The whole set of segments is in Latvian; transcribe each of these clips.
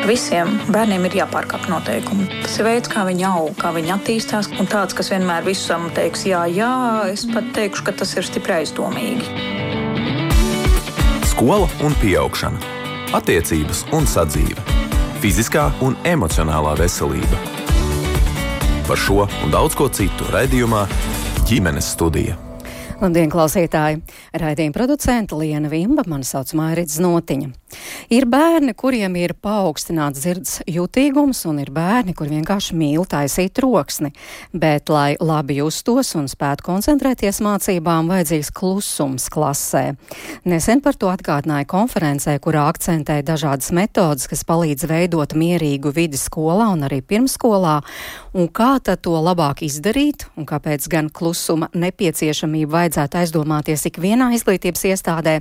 Visiem bērniem ir jāpārkāpj noteikumi. Tas ir veids, kā viņi aug, kā viņi attīstās. Un tāds, kas vienmēr visam teiks, jā, es pat teikšu, ka tas ir stipri aizdomīgi. Skola un pieaugšana. Attiecības un sadzīve. Fiziskā un emocionālā veselība. Par šo un daudz ko citu raidījumā Ģimenes studija. Labdien, klausītāji! Raidījuma producente Liena Vimba, mani sauc Mairits Znotiņa. Ir bērni, kuriem ir paaugstināts dzirdes jutīgums, un ir bērni, kur vienkārši mīl taisīt troksni. Bet, lai labi justos un spētu koncentrēties mācībām, vajadzīgs klusums klasē. Nesen par to atgādināja konferencē, kurā akcentēja dažādas metodas, kas palīdz veidot mierīgu vidi skolā un arī pirmsskolā. Un kā tad to labāk izdarīt, un kāpēc gan klusuma nepieciešamību vajadzētu aizdomāties ikvienā izglītības iestādē.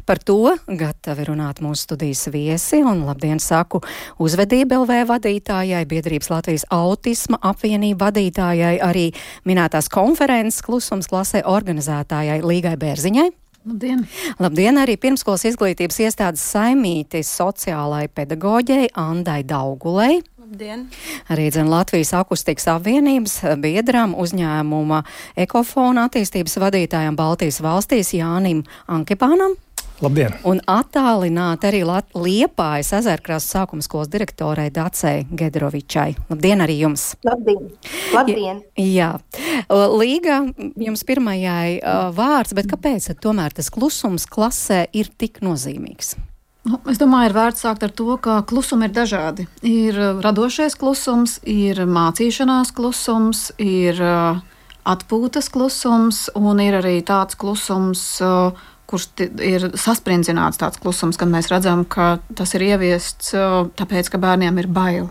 Par to gatavi runāt mūsu studijas viesi, un labdien saku Uzvedība LV vadītājai, Biedrības Latvijas autisma apvienība vadītājai, arī minētās konferences klusums klasē organizētājai Līgai Bērziņai. Labdien! Labdien arī pirmskolas izglītības iestādes saimītes sociālai pedagoģei Andai Daugulei. Labdien! Arī Latvijas akustikas apvienības biedram uzņēmuma Ekofona attīstības vadītājam Baltijas valstīs Jānim Ankipānam. Labdien! Un attālināt arī Liepājas Ezerkrastes sākuma skolas direktorai Dacei Gedrovičai. Labdien arī jums! Labdien! Labdien! Jā. Līga, jums pirmajai vārds, bet kāpēc tomēr tas klusums klasē ir tik nozīmīgs? Es domāju, ir vērts sākt ar to, ka klusumi ir dažādi. Ir radošais klusums, ir mācīšanās klusums, ir atpūtas klusums un ir arī tāds klusums, kurš ir sasprindzināts tāds klusums, kad mēs redzam, ka tas ir ieviests tāpēc, ka bērniem ir bail.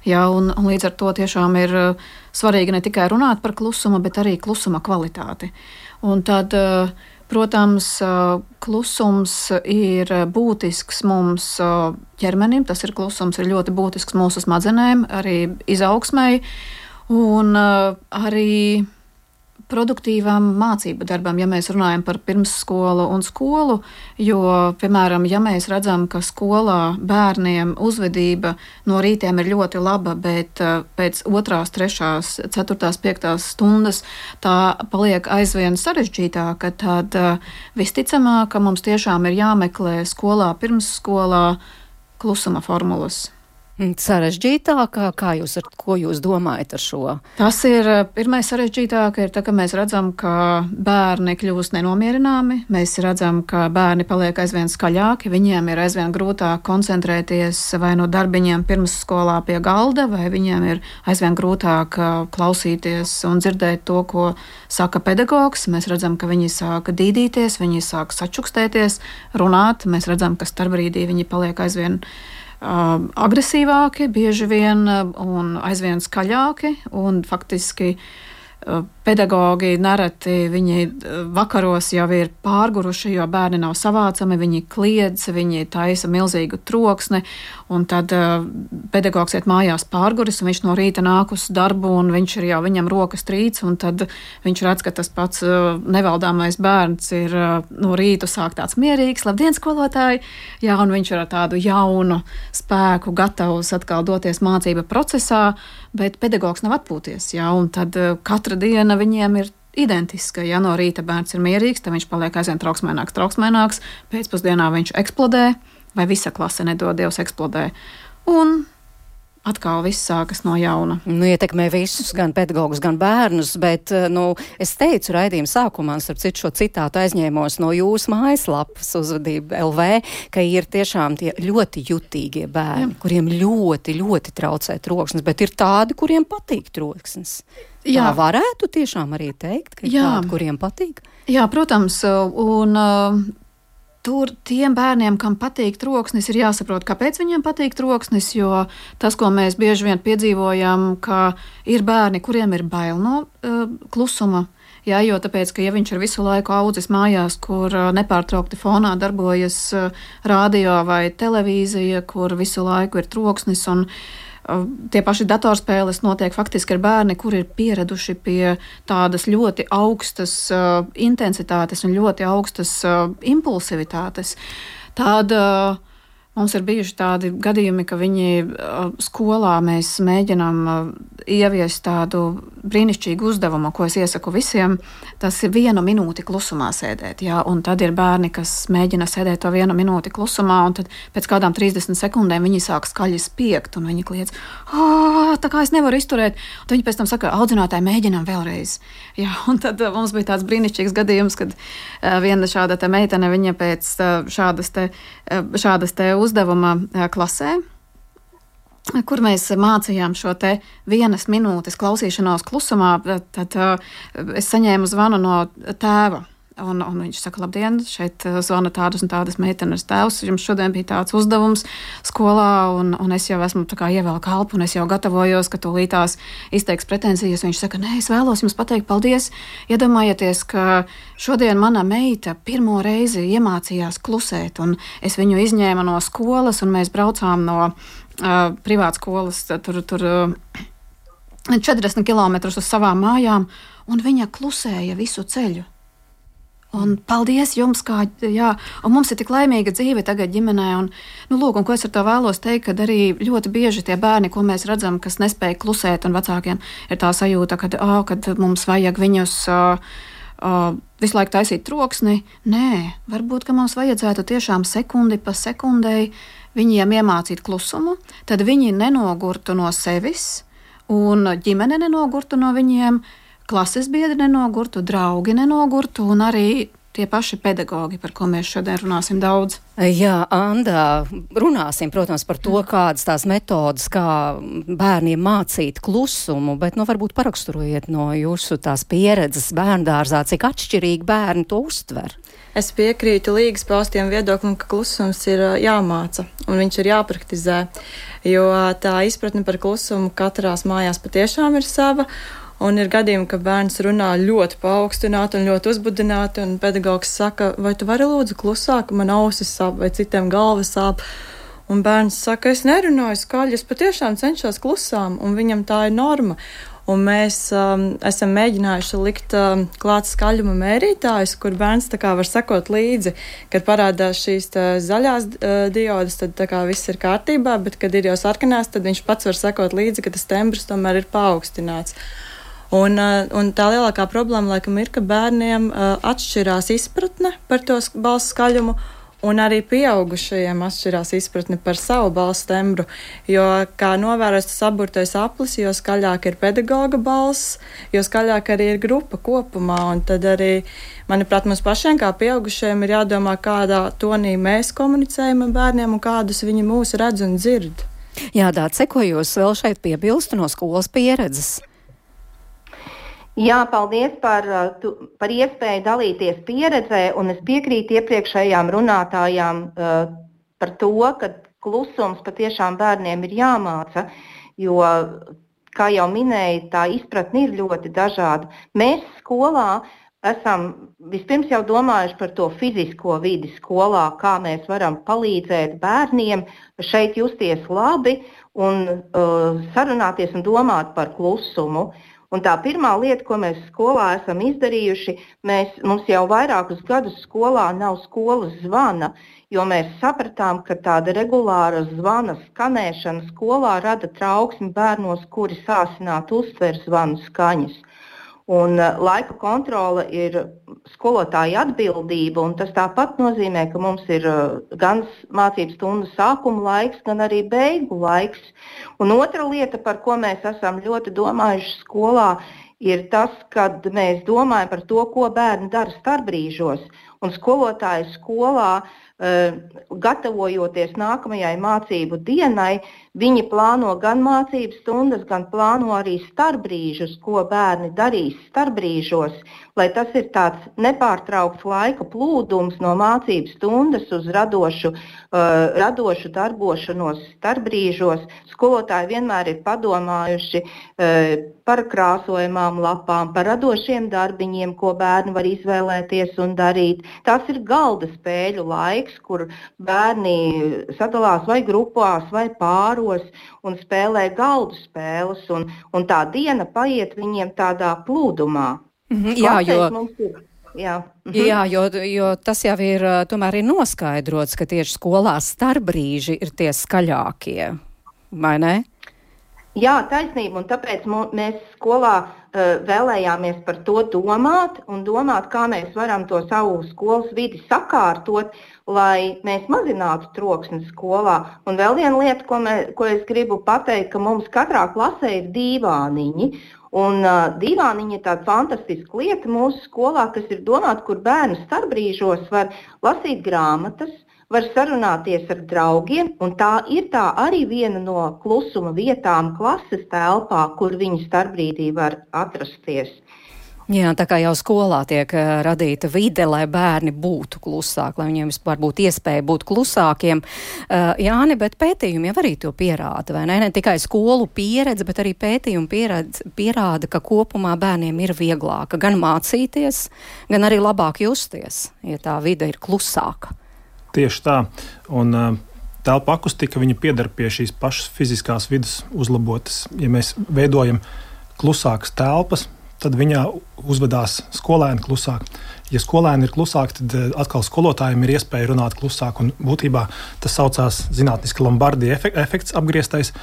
Ja, un līdz ar to tiešām ir svarīgi ne tikai runāt par klusumu, bet arī klusuma kvalitāti. Un tad, protams, klusums ir būtisks mums ķermenim, tas ir klusums, ir ļoti būtisks mūsu smadzenēm, arī izaugsmei un arī produktīvam mācību darbam, ja mēs runājam par pirmsskolu un skolu, jo, piemēram, ja mēs redzam, ka skolā bērniem uzvedība no rītiem ir ļoti laba, bet pēc 2., 3., 4., 5. stundas tā paliek aizvien sarežģītāka, tad visticamāk, ka mums tiešām ir jāmeklē skolā, pirmsskolā klusuma formulas. Sarežģītākā, ko jūs domājat ar šo? Tas ir pirmais sarežģītāk, ir tā, ka mēs redzam, ka bērni kļūst nenomierināmi, mēs redzam, ka bērni paliek aizvien skaļāki, viņiem ir aizvien grūtāk koncentrēties vai no darbiņiem pirmsskolā pie galda, vai viņiem ir aizvien grūtāk klausīties un dzirdēt to, ko saka pedagogs. Mēs redzam, ka viņi sāk dīdīties, viņi sāk sačukstēties, runāt, mēs redzam, ka starpbrīdī viņi paliek aizvien agresīvāki, bieži vien un aizvien skaļāki, un faktiski pedagogi nereti viņi vakaros jau ir pārguruši, jo bērni nav savācami, viņi kliedz, viņi taisa milzīgu troksni, un tad pedagogs iet mājās pārguris, un viņš no rīta nāk uz darbu, un viņš ir jau viņam rokas trīc, un tad viņš redz, ka tas pats nevaldāmais bērns ir no rīta sāk tāds mierīgs, labdien, skolotāji, jā, un viņš ir ar tādu jaunu spēku gatavs atkal doties mācība procesā, bet pedagogs nav atpūties, jā, un tad katra diena viņiem ir identiska. Ja no rīta bērns ir mierīgs, tad viņš paliek aizvien trauksmēnāks, pēcpusdienā viņš eksplodē, vai visa klase nedod Dievs eksplodē. Un atkal viss sākas no jauna. Ietekmē visus, gan pedagogus, gan bērnus, bet, es teicu raidījuma sākumā, starp citu šo citātu aizņēmos no jūsu mājaslapas Uzvedība LV, ka ir tiešām tie ļoti jutīgie bērni, kuriem ļoti, ļoti traucē troksnis, bet ir tādi, kuriem patīk troksnis. Jā. Tā varētu tiešām arī teikt, ka ir tādi, kuriem patīk? Jā, protams, un tur tiem bērniem, kam patīk troksnis, ir jāsaprot, kāpēc viņiem patīk troksnis, jo tas, ko mēs bieži vien piedzīvojam, ka ir bērni, kuriem ir bail no klusuma, jā, jo tāpēc, ka ja viņš ir visu laiku audzis mājās, kur nepārtraukti fonā darbojas radio vai televīzija, kur visu laiku ir troksnis un tie paši datorspēles notiek faktiski ar bērni, kuri ir pieraduši pie tādas ļoti augstas intensitātes un ļoti augstas impulsivitātes. Tad Mums ir bijuši tādi gadījumi, ka viņi skolā mēs mēģinām ieviest tādu brīnišķīgu uzdevumu, ko es iesaku visiem. Tas ir 1 minūti klusumā sēdēt. Jā, un tad ir bērni, kas mēģina sēdēt to 1 minūti klusumā, un tad pēc kādām 30 sekundēm viņi sāk skaļi spiegt, un viņi kliedz, tā kā es nevaru izturēt. Un viņi pēc tam saka, audzinātāji, mēģinām vēlreiz. Jā, un tad mums bija tāds brīnišķīgs gadījums, kad viena šāda te meitene, viņa pēc šādas te uzdevuma klasē, kur mēs mācījām šo te 1 minūtes klausīšanos klusumā, tad es saņēmu zvanu no tēva. Un viņš saka, labdien, šeit zvana tādas un tādas meitenes tēvs. Jums šodien bija tāds uzdevums skolā, un es jau esmu tā kā ievēlku elpu, un es jau gatavojos, ka tūlītās izteiks pretenzijas. Viņš saka, nē, es vēlos jums pateikt paldies. Iedomājieties, ka šodien mana meita pirmo reizi iemācījās klusēt, un es viņu izņēmu no skolas, un mēs braucām no privātskolas tur 40 kilometrus uz savām mājām, un viņa klusēja visu ceļu. Un paldies jums, un mums ir tik laimīga dzīve tagad ģimenē, un ko es ar to vēlos teikt, kad arī ļoti bieži tie bērni, ko mēs redzam, kas nespēja klusēt, un vecākiem ir tā sajūta, kad mums vajag viņus visu laiku taisīt troksni. Nē, varbūt, ka mums vajadzētu tiešām sekundi pa sekundei viņiem iemācīt klusumu, tad viņi nenogurtu no sevis, un ģimene nenogurtu no viņiem, klases biedri nenogurtu, draugi nenogurtu, un arī tie paši pedagogi, par ko mēs šodien runāsim daudz. Jā, Anda, runāsim, protams, par to, kādas tās metodas, kā bērniem mācīt klusumu, bet varbūt paraksturojiet no jūsu tās pieredzes bērndārzā, cik atšķirīgi bērni to uztver. Es piekrītu Līgas paustiem viedoklim, ka klusums ir jāmāca un viņš ir jāpraktizē, jo tā izpratne par klusumu katrās mājās patiešām ir sava. Un ir gadījumi, ka bērns runā ļoti paaugstināti un ļoti uzbudināti, un pedagogs saka, vai tu vari lūdzu klusāk, man ausis sāp vai citiem galvas sāp. Un bērns saka, es nerunāju skaļi, es patiešām cenšos klusām, un viņam tā ir norma. Un mēs esam mēģinājuši likt klāt skaļuma mērītājus, kur bērns tā kā var sekot līdzi, kad parādās šīs zaļās diodas, tad tā kā viss ir kārtībā, bet kad ir jau sarkanās, tad viņš pats var sekot līdzi, ka tas tembrs tomēr ir paaugstināts. Un tā lielākā problēma, laikam, ir, ka bērniem atšķirās izpratne par to balss skaļumu, un arī pieaugušajiem atšķirās izpratne par savu balss tembru, jo, kā novērots tas aburtais aplis, jo skaļāk ir pedagoga balss, jo skaļāk arī ir grupa kopumā, un tad arī, manuprāt, mums pašiem kā pieaugušajiem ir jādomā, kādā tonī mēs komunicējam ar bērniem un kādus viņi mūs redz un dzird. Jā, Dāce, ko jūs vēl šeit piebilstu no skolas pieredzes? Jā, paldies par iespēju dalīties pieredzē, un es piekrītu iepriekšējām runātājām par to, ka klusums patiešām bērniem ir jāmāca, jo, kā jau minēju, tā izpratne ir ļoti dažāda. Mēs skolā esam vispirms jau domājuši par to fizisko vidi skolā, kā mēs varam palīdzēt bērniem šeit justies labi un sarunāties un domāt par klusumu. Un tā pirmā lieta, ko mēs skolā esam izdarījuši, mums jau vairākus gadus skolā nav skolas zvana, jo mēs sapratām, ka tāda regulāra zvana skanēšana skolā rada trauksmi bērnos, kuri sāsināti uztver zvanu skaņas. Un laika kontrole ir skolotāja atbildība, un tas tāpat nozīmē, ka mums ir gan mācību stundu sākuma laiks, gan arī beigu laiks. Un otra lieta, par ko mēs esam ļoti domājuši skolā, ir tas, kad mēs domājam par to, ko bērni dara starpbrīžos. Un skolotāji skolā, gatavojoties nākamajai mācību dienai, viņi plāno gan mācību stundas, gan plāno arī starpbrīžus, ko bērni darīs starpbrīžos, lai tas ir tāds nepārtraukts laika plūdums no mācību stundas uz radošu darbošanos starpbrīžos. Skolotāji vienmēr ir padomājuši par krāsojumām lapām, par radošiem darbiņiem, ko bērni var izvēlēties un darīt. Tas ir galda spēļu laiks, kur bērni sadalās vai grupās, vai pāros un spēlē galdu spēles, un tā diena paiet viņiem tādā plūdumā. Jā, jo... Jā, jā jo tas jau ir, tomēr ir noskaidrots, ka tieši skolās starpbrīži ir tie skaļākie, vai ne? Jā, taisnība, un tāpēc mēs skolā vēlējāmies par to domāt, kā mēs varam to savu skolas vidi sakārtot, lai mēs mazinātu troksni skolā. Un vēl viena lieta, ko es gribu pateikt, ka mums katrā klasē ir dīvāniņi. Un dīvāniņi ir tāda fantastiska lieta mūsu skolā, kas ir domāta, kur bērni starpbrīžos var lasīt grāmatas, var sarunāties ar draugiem, un tā ir arī viena no klusuma vietām klases telpā, kur viņi starpbrīdī var atrasties. Jā, tā kā jau skolā tiek radīta vide, lai bērni būtu klusāki, lai viņiem vispār būtu iespēja būt klusākiem. Jāni, bet pētījumi jau arī to pierāda, vai ne? Ne tikai skolu pieredze, bet arī pētījumi pierāda, ka kopumā bērniem ir vieglāka gan mācīties, gan arī labāk justies, ja tā vide ir klusāka. Tieši tā, un telpa akustika, viņa pieder pie šīs pašas fiziskās vidas uzlabotas. Ja mēs veidojam klusākas telpas, tad viņā uzvedās skolēni klusāk. Ja skolēni ir klusāki, tad atkal skolotājiem ir iespēja runāt klusāk, un būtībā tas saucās zinātniski Lombardi efekts apgrieztais.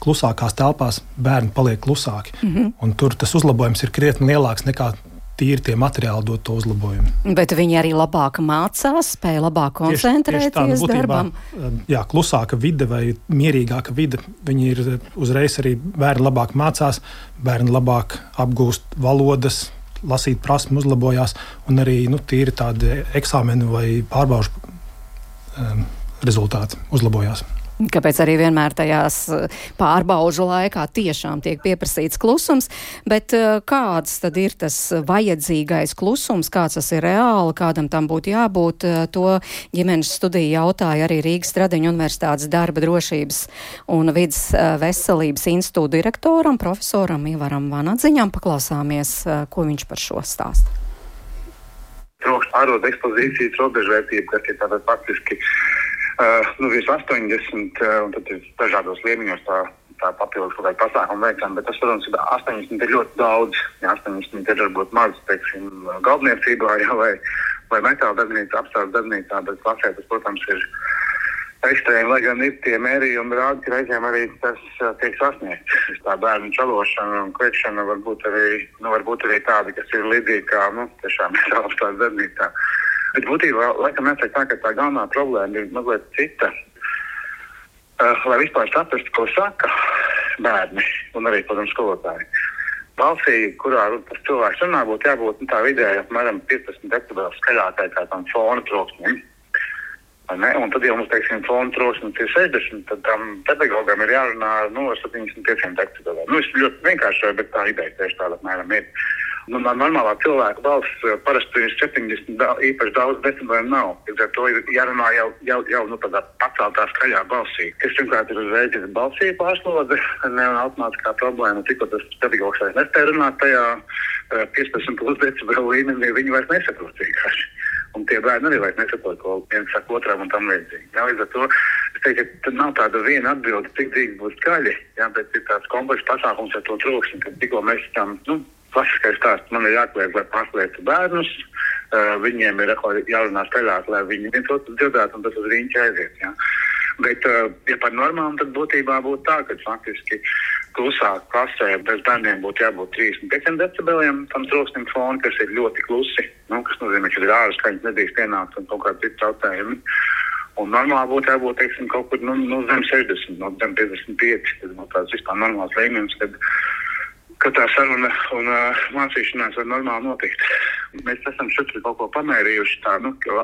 Klusākās telpās bērni paliek klusāki, un tur tas uzlabojums ir krietni lielāks nekā tīri tie materiāli dod to uzlabojumu. Bet viņi arī labāk mācās, spēja labāk koncentrēties darbam. Jā, klusāka vide vai mierīgāka vide, viņi ir uzreiz arī bērni labāk mācās, bērni labāk apgūst valodas, lasīt prasmi uzlabojās, un arī tīri tādi eksāmenu vai pārbaužu rezultāti uzlabojās. Kāpēc arī vienmēr tajās pārbaužu laikā tiešām tiek pieprasīts klusums, bet kāds tad ir tas vajadzīgais klusums, kāds tas ir reāli, kādam tam būtu jābūt, to ģimenes studija jautāja arī Rīgas Stradiņu Universitātes darba drošības un vidas veselības institūta direktoram, profesoram Ivaram Vanadziņam. Paklausāmies, ko viņš par šo stāsta. Trokšņa ārodu ekspozīcijas robežvērtība, kas ir tātad faktiski virs 80, un tad ir dažādos līmeņos tā papildus kaut kāda pasākuma veicama, bet tas, protams, 80 ir ļoti daudz. Ja 80 ir varbūt maz, teiksim, galdniecībā vai metāla darbnīcā, apstrādes darbnīcā, bet klasē tas, protams, ir ekstrēmi, lai gan ir tie mērījumi rādi, ka reizēm arī tas tiek sasniegts. Tā bērnu čalošana un kliekšana varbūt arī tādi, kas ir līdzīgi kā, tiešām metāla apstrādes darbnīcā. Bet būtībā, laikam, jāsaka tā, ka tā galvenā problēma ir mazliet cita. Lai vispār saprastu, ko saka bērni un arī, protams, skolotāji. Balsī, kurā tas cilvēks runā, būtu jābūt tā vidēji apmēram 15 decibeli skaļākai kā tam fona troksnim. Un tad, ja mums, teiksim, fona troksnis ir 60, tad tam pedagogam ir jārunā ar 75 decibeliem. Es ļoti vienkārši, bet tā ideja tieši tāda apmēram ir. Normālā cilvēka balss parasti ir 70, īpaši daudz decibeliem nav. Līdz ar to ir jārunā jau tādā paceltā skaļā balsī. Kas pirmkārt ir uzreiz balsī pārslodze, automātiskā problēma. Tikko tas pedagogs vairs nespēja runāt tajā 15 plus decibelu līmenī, viņi vairs nesaprot vienkārši. Un tie bērni arī vairs nesaprot, ko viens saka otram un tam līdzīgi. Līdz ar to es teiktu, ka nav tāda viena atbilde, cik drīz būs skaļi, bet ir tāds komplekss pasākums ar to troksni, ka tikko mēs tam, klasiskais stāsts, man ir jākliedz, lai pārslēgtu bērnus, viņiem ir jārunā skaļāk, lai viņi viens otru dzirdētu, un tas uz riņķi aiziet. Ja? Bet, ja par normām, tad būtībā būtu tā, ka faktiski klusāk klasē bez bērniem būtu jābūt 35 decibeliem tam troksnim fonu, kas ir ļoti klusi, kas nozīmē, ka ir ārā skaņas nedrīkst pienākt un kaut kādi citi traucējumi. Un normāli būtu jābūt, teiksim, kaut kur zem 60, zem 55, tas būtu tāds vispār normāls līmenis, kad tā saruna un mācīšanās var normāli notikt. Mēs esam šeit kaut ko pamērījuši tā,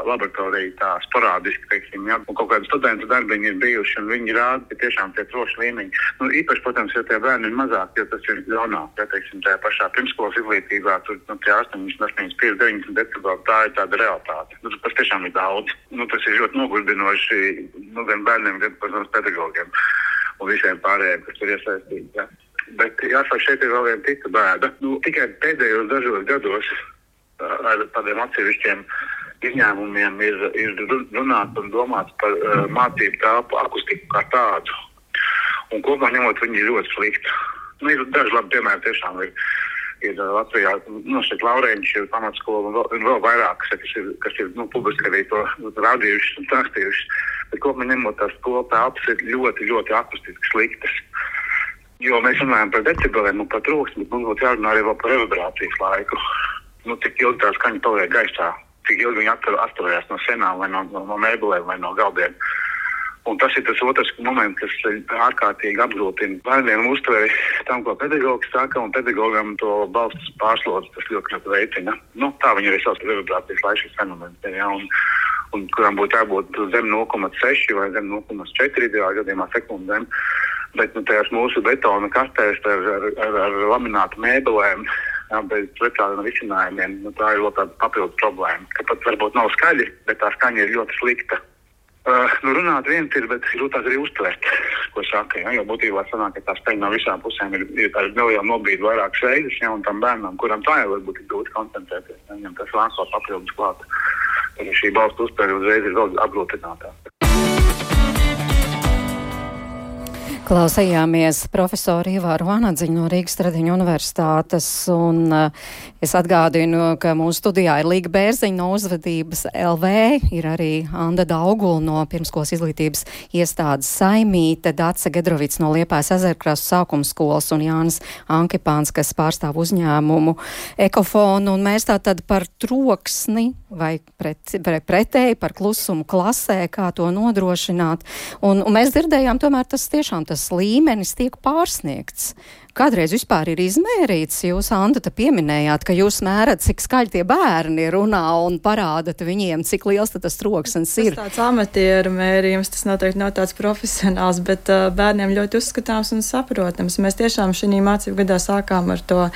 laboratorija tā sporādiski, teiksim, un kaut kādi studentu darbiņi ir bijuši, un viņi rāda, ka tiešām tie trokšņa līmeņi. Īpaši, protams, ja tie bērni ir mazāk, jo tas ir ļaunāk, ja, teiksim, tajā pašā pirmskolas izglītībā, tur tie 85, 90 decibeli, tā ir tāda realitāte. Tas tiešām ir daudz. Tas ir ļoti nogurdinoši gan bērniem, gan, protams, pedagogiem un visiem pārējiem, kas tur iesaistīti. Ja. Bet jāsaka, šeit ir vēl viena cita bēda. Tikai pēdējos dažos gados ar tādiem atsevišķiem izņēmumiem ir runāts un domāts par mācību telpu akustiku kā tādu. Un kopumā ņemot, viņi ir ļoti slikti. Ir daži labi piemēri, tiešām ir ir Latvijā, šeit Laurēņš ir pamatskola un vēl vairāk, kas ir publiski arī to rādījušas un stāstījušas. Bet kopumā ņemot tās skola telpas ir ļoti, ļoti akustiski sliktas. Jo mēs runājam par decibeliem un par trūksni, bet mums būtu jārunā arī vēl par revibrācijas laiku. Cik ilgi tā skaņa paliek gaisā, cik ilgi viņi atturējās no senām vai no mēbelēm vai no galdiem. Un tas ir tas otrs moments, kas ārkārtīgi apgrūtina bērniem uztveri tam, ko pedagogs saka, un pedagogam to balsts pārslodzi, tas ļoti veicina. Tā viņi arī savas revibrācijas laiks šis fenomens, ja, un kuram būtu jābūt zem 0,6 vai zem 0,4 ideālā gadījumā sekundēm. Bet tajās mūsu betona kastēs ar laminātu mēbelēm, bez precādiem risinājumiem, tā ir vēl tāda papildus problēma, ka pat varbūt nav skaļi, bet tā skaņa ir ļoti slikta. Runāt viens ir, bet grūtāk arī uztvert, ko saka, ja, jo būtībā sanāk, ka tā skaņa no visām pusēm ir tāda neliela nobīde vairākas reizes, ja, un tam bērnam, kuram tā jau varbūt ir grūti koncentrēties, ja, viņam tas vēl papildus klāt. Tad šī balstu uztvere uzreiz ir vēl apgrūtinātā. Klausījāmies profesoru Ivāru Vanadziņu no Rīgas Tradiņu universitātes, un es atgādinu, ka mūsu studijā ir Līga Bērziņa no Uzvedības LV, ir arī Anda Daugula no Pirmskolas izglītības iestādes Saimīte, Dace Gedrovics no Liepājas Ezerkrastu sākuma skolas un Jānis Ankipāns, kas pārstāv uzņēmumu Ekofonu, un mēs tātad par troksni vai pretēji par klusumu klasē, kā to nodrošināt, un mēs dzirdējām, tomēr tas tiešām tas līmenis tiek pārsniegts. Kādreiz vispār ir izmērīts, jūs, Anda, te pieminējāt, ka jūs mērat, cik skaļi tie bērni runā un parādat viņiem, cik liels tas troksnis ir. Tas tāds amatieru mērījums, tas noteikti nav tāds profesionāls, bet bērniem ļoti uzskatāms un saprotams. Mēs tiešām šī mācību gadā sākām ar to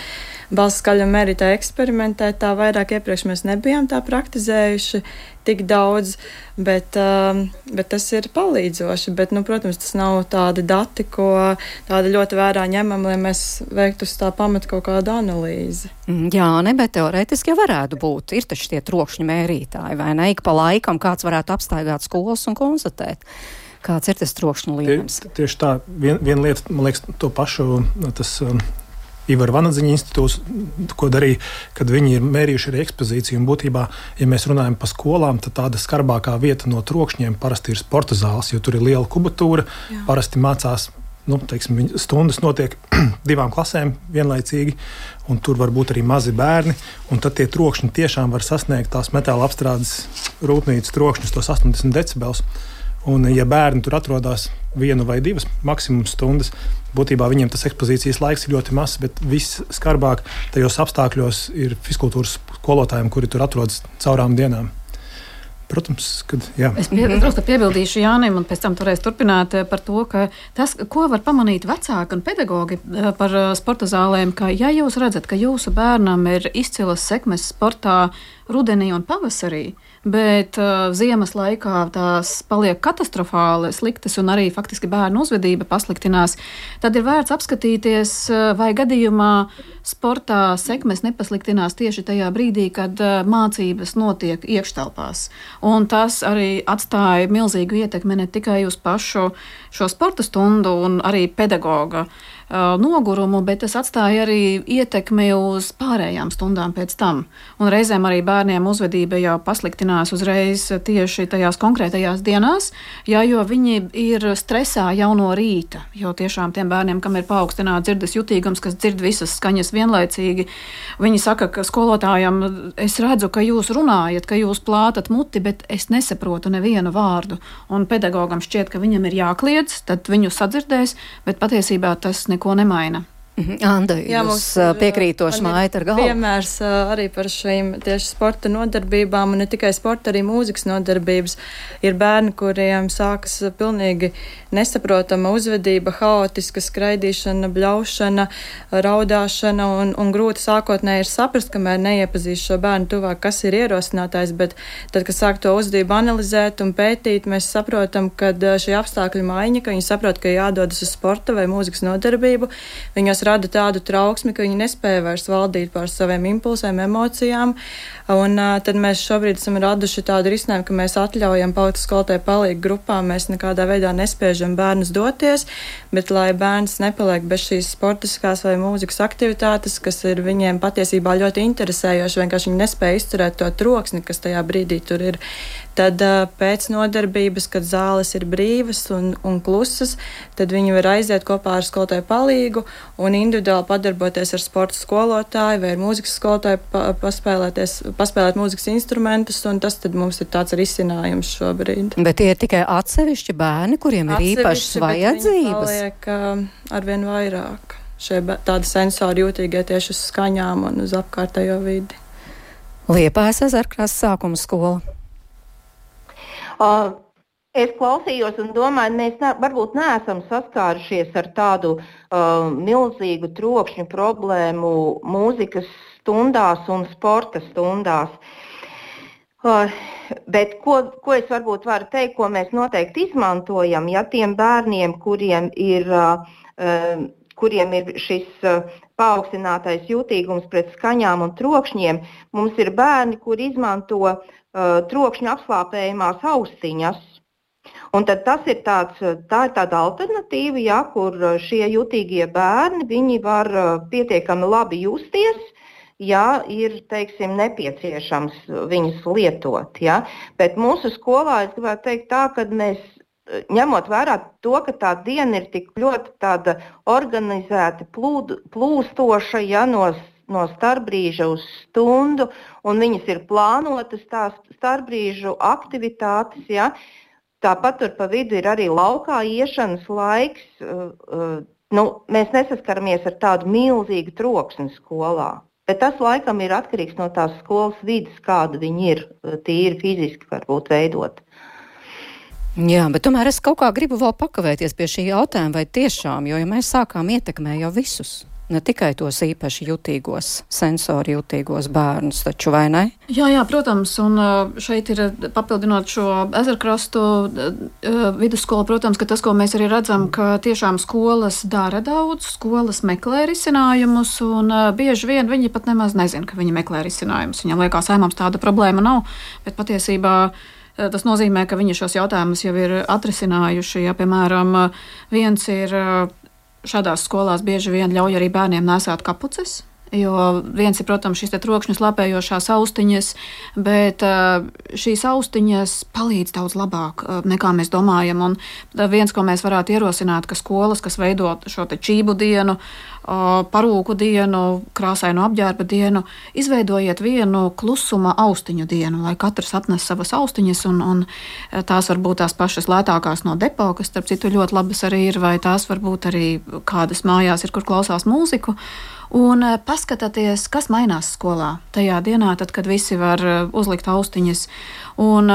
balss skaļumu mērītāju eksperimentēt, tā vairāk iepriekš mēs nebijām tā praktizējuši tik daudz, bet tas ir palīdzoši. Bet, protams, tas nav tādi dati, ko tāda ļoti vērā ņemam, lai mēs veiktu uz tā pamata kaut kādu analīzi. Jā, bet teorētiski jau varētu būt. Ir taču tie trokšņu mērītāji, vai ne? Ik pa laikam kāds varētu apstaigāt skolas un konstatēt, kāds ir tas trokšņu līmenis. Tieši tā, viena lieta, man liekas, to pašu, tas Ivara Vanadziņa institūts, ko darīja, kad viņi ir mērījuši arī ekspozīciju. Un būtībā, ja mēs runājam par skolām, tad tāda skarbākā vieta no trokšņiem parasti ir sporta zāles, jo tur ir liela kubatūra. Jā. Parasti mācās, stundas notiek 2 klasēm vienlaicīgi, un tur var būt arī mazi bērni. Un tad tie trokšņi tiešām var sasniegt tās metāla apstrādes rūpnīcas trokšņus, tos 80 decibels. Un, ja bērni tur atrodas 1 vai 2 maksimums stundas, būtībā viņiem tas ekspozīcijas laiks ir ļoti mazs, bet viss skarbāk tajos apstākļos ir fizkultūras skolotājiem, kuri tur atrodas caurām dienām. Protams, kad jā. Es piebildīšu Jānim, un pēc tam varēs turpināt par to, ka tas, ko var pamanīt vecāki un pedagogi par sporta zālēm, ka ja jūs redzat, ka jūsu bērnam ir izcilas sekmes sportā rudenī un pavasarī, bet ziemas laikā tās paliek katastrofāli sliktas un arī faktiski bērnu uzvedība pasliktinās, tad ir vērts apskatīties, vai gadījumā sportā sekmes nepasliktinās tieši tajā brīdī, kad mācības notiek iekštelpās. Un tas arī atstāja milzīgu ietekmi ne tikai uz pašu šo sporta stundu un arī pedagoga nogurumu, bet tas atstāja arī ietekmi uz pārējām stundām pēc tam. Un reizēm arī bērniem uzvedība jau pasliktinās uzreiz tieši tajās konkrētajās dienās, jo viņi ir stresā jau no rīta. Jo tiešām tiem bērniem, kam ir paaugstināts dzirdes jutīgums, kas dzird visas skaņas vienlaicīgi, viņi saka, ka skolotājam, es redzu, ka jūs runājat, ka jūs plātat muti, bet es nesaprotu nevienu vārdu. Un pedagogam šķiet, ka viņam ir jākliedz, tad viņu sadzirdēs, bet patiesībā tas neko nemaina. Anda, jūs piekrītoši mājat ar galvu? Piemērs arī par šīm tieši sporta nodarbībām, un ne tikai sporta, arī mūzikas nodarbības. Ir bērni, kuriem sākas pilnīgi nesaprotama uzvedība, haotiska skraidīšana, bļaušana, raudāšana, un grūti sākotnēji ir saprast, kamēr neiepazīst šo bērnu tuvāk, kas ir ierosinātājs, bet tad, kad sāk to uzvedību analizēt un pētīt, mēs saprotam, ka šī apstākļu maiņa, ka viņi saprot, ka jādodas uz sporta vai mūzikas nodarbību, viņos rada tādu trauksmi, ka viņi nespēja vairs valdīt pār saviem impulsiem, emocijām. Un tad mēs šobrīd esam raduši tādu risinājumu, ka mēs atļaujam palikt skolotāju palīgu grupām. Mēs nekādā veidā nespiežam bērnus doties, bet lai bērns nepaliek bez šīs sportiskās vai mūzikas aktivitātes, kas ir viņiem patiesībā ļoti interesējoši, vienkārši viņi nespēja izturēt to troksni, kas tajā brīdī tur ir. Tad pēc nodarbības, kad zāles ir brīvas un klusas, tad viņi var aiziet kopā ar skolotāju palīgu un individuāli padarboties ar sporta skolotāju vai ar mūzikas skolotāju, paspēlēt mūzikas instrumentus, un tas tad mums ir tāds risinājums šobrīd. Bet tie ir tikai atsevišķi bērni, kuriem ir īpašas vajadzības? Paliek arvien vairāk. Tādi sensori jūtīgie tieši uz skaņām un uz apkārtējo vidi. Liepājas Ezerkrasts sākuma skola. Es klausījos un domāju, mēs varbūt neesam saskārušies ar tādu milzīgu trokšņu problēmu mūzikas stundās un sporta stundās. Bet ko es varbūt varu teikt, ko mēs noteikti izmantojam, ja tiem bērniem, kuriem ir šis paaugstinātais jūtīgums pret skaņām un trokšņiem, mums ir bērni, kur izmanto trokšņu apslāpējumās austiņas. Un tad tā ir tāda alternatīva, ja, kur šie jutīgie bērni, viņi var pietiekami labi justies, ja ir, teiksim, nepieciešams viņus lietot. Ja. Bet mūsu skolā es gribētu teikt tā, ka mēs, ņemot vērā to, ka tā diena ir tik ļoti tāda organizēta, plūstoša, ja, no starpbrīža uz stundu, un viņas ir plānotas tās starpbrīžu aktivitātes, ja. Tāpat tur pa vidu ir arī laukā iešanas laiks. Mēs nesaskaramies ar tādu milzīgu troksni skolā, bet tas laikam ir atkarīgs no tās skolas vides, kāda viņi ir tīri fiziski varbūt veidot. Jā, bet tomēr es kaut kā gribu vēl pakavēties pie šī jautājuma, vai tiešām, jo ja mēs sākām ietekmēt jau visus. Ne tikai tos īpaši jutīgos, sensori jutīgos bērnus, taču vai ne? Jā, protams, un šeit ir papildinot šo Ezerkrastu vidusskolu, protams, ka tas, ko mēs arī redzam, ka tiešām skolas dara daudz, skolas meklē risinājumus, un bieži vien viņi pat nemaz nezin, ka viņi meklē risinājumus. Viņam liekas, mums tāda problēma nav, bet patiesībā tas nozīmē, ka viņi šos jautājumus jau ir atrisinājuši. Ja, piemēram, viens ir šādās skolās bieži vien ļauj arī bērniem nēsāt kapuces, jo viens ir, protams, šīs trokšņu slāpējošās austiņas, bet šīs austiņas palīdz daudz labāk nekā mēs domājam. Un viens, ko mēs varētu ierosināt, ka skolas, kas veido šo te čību dienu, parūku dienu, krāsainu apģērba dienu, izveidojiet vienu klusuma austiņu dienu, lai katrs atnes savas austiņas, un tās var būt tās pašas lētākās no depo, kas, starp citu, ļoti labas arī ir, vai tās var būt arī kādas mājās ir, kur klausās mūziku. Un paskatieties, kas mainās skolā tajā dienā, tad, kad visi var uzlikt austiņas. Un,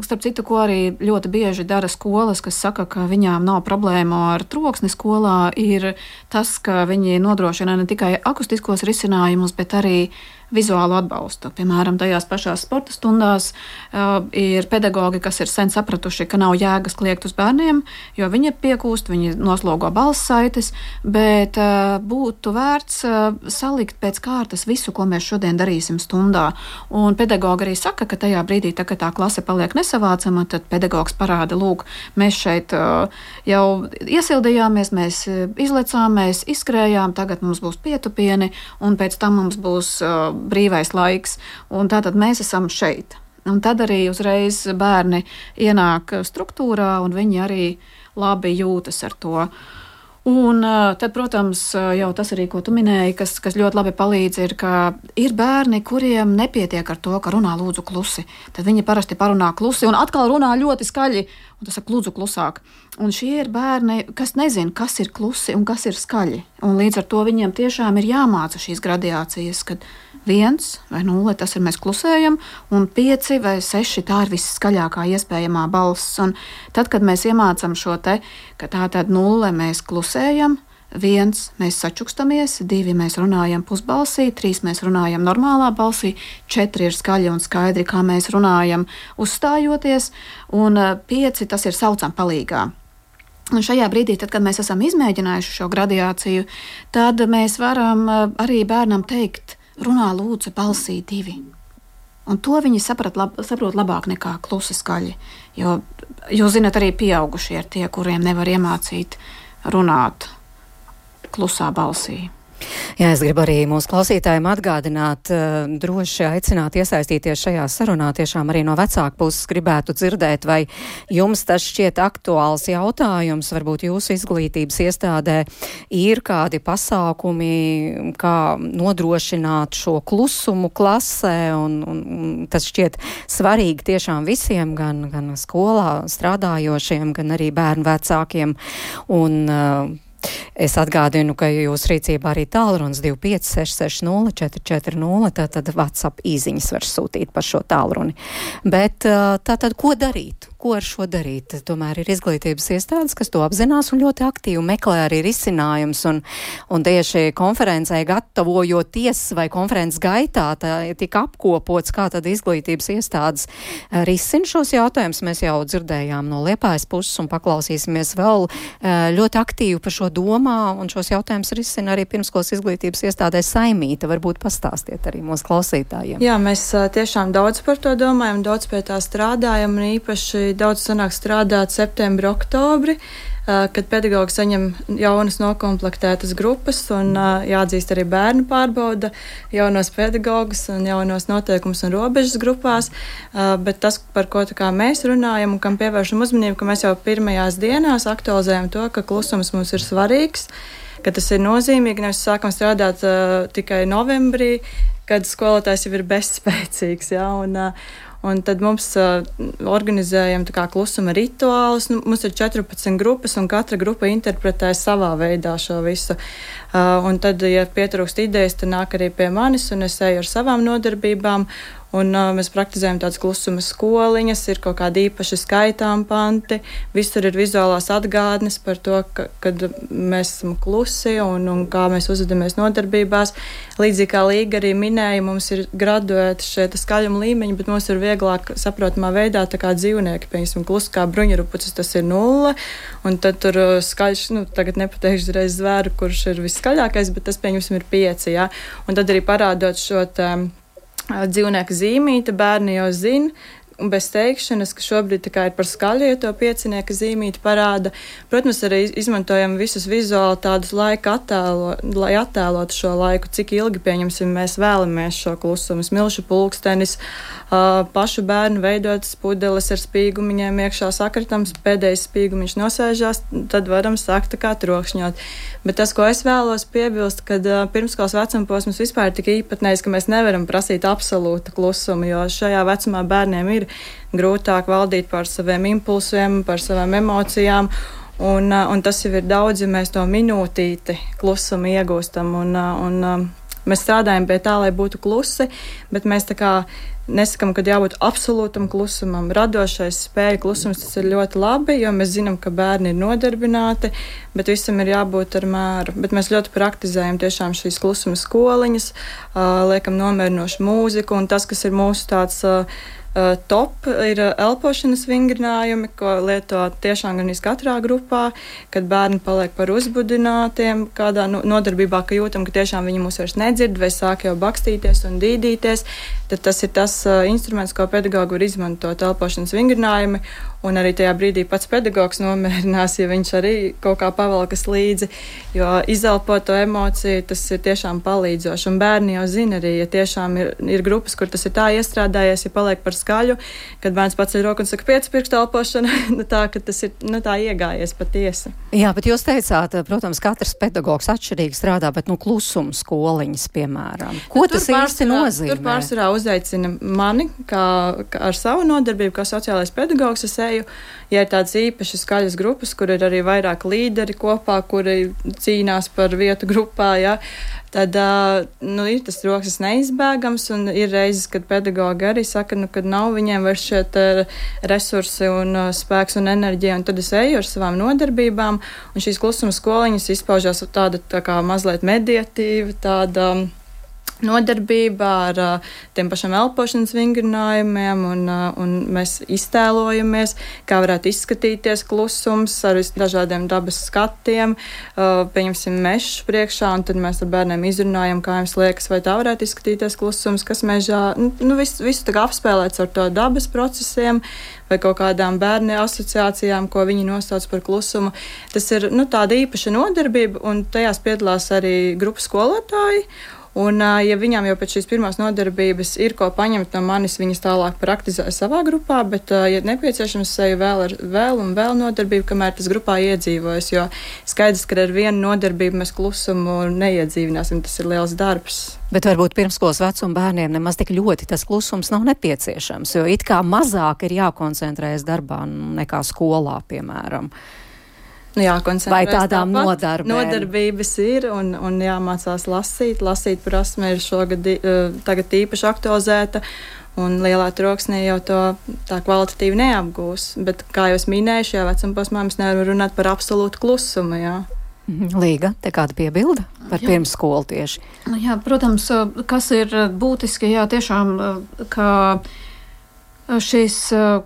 starp citu, ko arī ļoti bieži dara skolas, kas saka, ka viņām nav problēmu ar troksni skolā, ir tas, ka viņi nodrošina ne tikai akustiskos risinājumus, bet arī vizuālu atbalstu. Piemēram, tajās pašās sporta stundās ir pedagogi, kas ir sen sapratuši, ka nav jēgas kliegt uz bērniem, jo viņi piekūst, viņi noslogo balss saites, bet būtu vērts salikt pēc kārtas visu, ko mēs šodien darīsim stundā. Un pedagogi arī saka, ka tajā brīdī, kad tā klase paliek nesavācama, tad pedagogs parāda, lūk, mēs šeit jau iesildījāmies, mēs izlecām, mēs izskrējām, tagad mums būs pietupieni, un pēc tam mums būs brīvais laiks, un tātad mēs esam šeit. Un tad arī uzreiz bērni ienāk struktūrā, un viņi arī labi jūtas ar to. Un tad, protams, jau tas arī, ko tu minēji, kas ļoti labi palīdz, ir, ka ir bērni, kuriem nepietiek ar to, ka runā lūdzu klusi. Tad viņi parasti parunā klusi un atkal runā ļoti skaļi, un tas saka lūdzu klusāk. Un šie ir bērni, kas nezin, kas ir klusi un kas ir skaļi. Un līdz ar to viņiem tiešām ir jāmāca šīs gradiācijas, kad 1 vai 0, tas ir mēs klusējam, un 5 vai 6, tā ir visskaļākā iespējamā balss. Un tad, kad mēs iemācam šo te, ka tā tad 0 mēs klusējam, 1 mēs sačukstamies, 2 mēs runājam pusbalsī, 3 mēs runājam normālā balsī, 4 ir skaļi un skaidri, kā mēs runājam uzstājoties, un 5 tas ir saucam palīgā. Un šajā brīdī, tad, kad mēs esam izmēģinājuši šo gradiāciju, tad mēs varam arī bērnam teikt, runā lūdzu balsī 2. Un to viņi saprot labāk nekā klusi skaļi. Jo, jūs zināt, arī pieaugušie ir tie, kuriem nevar iemācīt runāt klusā balsī. Jā, es gribu arī mūsu klausītājiem atgādināt, droši aicināt iesaistīties šajā sarunā. Tiešām arī no vecāku puses gribētu dzirdēt, vai jums tas šķiet aktuāls jautājums, varbūt jūsu izglītības iestādē ir kādi pasākumi, kā nodrošināt šo klusumu klasē, un tas šķiet svarīgi tiešām visiem, gan skolā strādājošiem, gan arī bērnu vecākiem. Un es atgādinu, ka jūs rīcībā arī tālrunis 25 660 440, tātad WhatsApp īziņas var sūtīt par šo tālruni. Bet tātad, ko darīt? Ko ar šo darīt? Tomēr ir izglītības iestādes, kas to apzinās un ļoti aktīvi meklē arī risinājums, un tieši konferencē gatavojoties vai konferences gaitā tika apkopots, kā tad izglītības iestādes risina šos jautājumus. Mēs jau dzirdējām no Liepājas puses un paklausīsimies vēl ļoti aktīvi par šo domā, un šos jautājumus risina arī pirmskolas izglītības iestādē Saimīta. Varbūt pastāstiet arī mūsu klausītājiem. Jā, mēs tiešām daudz par to domājam, daudz pie tā strādājam, un īpaši daudz sanāk strādāt septembri, oktobri, kad pedagogi saņem jaunas nokomplektētas grupas, un jāatzīst arī bērnu pārbauda jaunos pedagogus un jaunos noteikumus un robežas grupās, bet tas, par ko mēs runājam un kam pievēršam uzmanību, ka mēs jau pirmajās dienās aktualizējam to, ka klusums mums ir svarīgs, ka tas ir nozīmīgi, nevis sākam strādāt tikai novembrī, kad skolotājs jau ir bezspēcīgs, ja, un tad mums organizējam klusuma rituālus. Mums ir 14 grupas, un katra grupa interpretē savā veidā šo visu. Un tad, ja pietrūkst idejas, tad nāk arī pie manis, un es eju ar savām nodarbībām. Un mēs praktizējam tādas klusuma skoliņas, ir kaut kādi īpaši skaitām panti, visur ir vizuālās atgādnes par to, kad mēs esam klusi un kā mēs uzvedamies nodarbībās. Līdzīgi kā Līga arī minēja, mums ir graduēti šie skaļuma līmeņi, bet mums ir vieglāk saprotamā veidā tā kā dzīvnieki, piemēram, klusi kā bruņurupucis, tas ir 0, un tad tur skaļš, tagad nepateikšu reiz zvēru, kurš ir viskaļākais, bet tas, pieņemsim, ir 5, jā. Un tad arī parādot šo dzīvnieku zīmīti, bērni jau zina, un bez teikšanas, ka šobrīd ir par skaļu, ja to 5 zīmīti parāda. Protams, arī izmantojam visus vizuāli tādus laika lai attēlotu šo laiku, cik ilgi, pieņemsim, mēs vēlamies šo klusumu. Smilšu pulkstenis, pašu bērnu veidotas pudeles ar spīgumiņiem iekšā sakritams, pēdējais spīgumiņš nosēžās, tad varam sākt trokšņot. Bet tas, ko es vēlos piebilst, kad pirmskolas vecuma posms vispār ir tik īpatnējs, ka mēs nevaram prasīt absolūtu klusumu, jo šajā vecumā bērniem ir grūtāk valdīt pār saviem impulsiem, pār savām emocijām, un tas jau ir daudz, ja mēs to minūtīti klusumu iegūstam, un mēs strādājam pie tā, lai būtu klusi, bet mēs tā kā nesakam, ka jābūt absolūtam klusumam. Radošais spēju klusums, tas ir ļoti labi, jo mēs zinām, ka bērni ir nodarbināti, bet visam ir jābūt ar mēru. Bet mēs ļoti praktizējam tiešām šīs klusuma skoliņas, liekam nomierinošu mūziku, un tas, kas ir mūsu tāds top, ir elpošanas vingrinājumi, ko lieto tiešām gan katrā grupā, kad bērni paliek par uzbudinātiem, kādā nodarbībā, ka jūtam, ka tiešām viņi mūs vairs nedzird vai sāk jau bakstīties un dīdīties, tad tas ir tas instruments, ko pedagogi var izmantot, elpošanas vingrinājumi, un arī tajā brīdī pats pedagogs nomierinās, ja viņš arī kaut kā pavalkas līdzi, jo izelpot to emociju, tas ir tiešām palīdzoši, un bērni jau zina arī, ja tiešām ir grupas, kur tas ir tā iestrādājies, ja paliek par skaļu, kad bērns pats ir roku un saka 5 pirkstu elpošana, tā, ka tas ir tā iegājies patiesi. Jā, bet jūs teicāt, protams, katrs pedagogs atšķirīgi strādā, bet klusuma skoliņas, piemēram. Ko tas īsti nozīmē? Tur pārsvarā uzaicina mani, kā ar savu nodarbību, kā sociālais pedagogs es eju, ja ir tādas īpašas skaļas grupas, kur ir arī vairāk līderi kopā, kuri cīnās par vietu grupā, ja, tad ir tas rokas neizbēgams, un ir reizes, kad pedagogi arī saka, kad nav viņiem vairs šie resursi un spēks un enerģija, un tad es eju ar savām nodarbībām, un šīs klusuma skoliņas izpaužās tāda tā kā mazliet mediatīva, tāda nodarbība ar tiem pašiem elpošanas vingrinājumiem, un mēs iztēlojamies, kā varētu izskatīties klusums ar dažādiem dabas skatiem, pieņemsim mežu priekšā, un tad mēs ar bērniem izrunājam, kā jums liekas, vai tā varētu izskatīties klusums, kas mežā, visu tā kā apspēlēts ar to dabas procesiem, vai kaut kādām bērnu asociācijām, ko viņi nosauc par klusumu. Tas ir tāda īpaša nodarbība, un tajās piedalās arī grupas skolotāji. Un, ja viņām jau pēc šīs pirmās nodarbības ir ko paņemt no manis, viņas tālāk praktizē savā grupā, bet, ja nepieciešams, seju vēl nodarbību, kamēr tas grupā iedzīvojas, jo skaidrs, ka ar vienu nodarbību mēs klusumu neiedzīvināsim, tas ir liels darbs. Bet varbūt pirmskolas vecuma bērniem nemaz tik ļoti tas klusums nav nepieciešams, jo it kā mazāk ir jākoncentrējas darbā nekā skolā, piemēram. Vai tādām nodarbības ir un jāmācās lasīt. Lasīt prasme ir tagad īpaši aktualizēta, un lielā troksnī jau to tā kvalitatīvi neapgūs. Bet, kā jau es minēju, šajā vecuma posmā mēs nevaram runāt par absolūtu klusumu. Jā. Līga, te kāda piebilda par pirmsskolu tieši? Jā, protams, kas ir būtiski, tiešām, ka šīs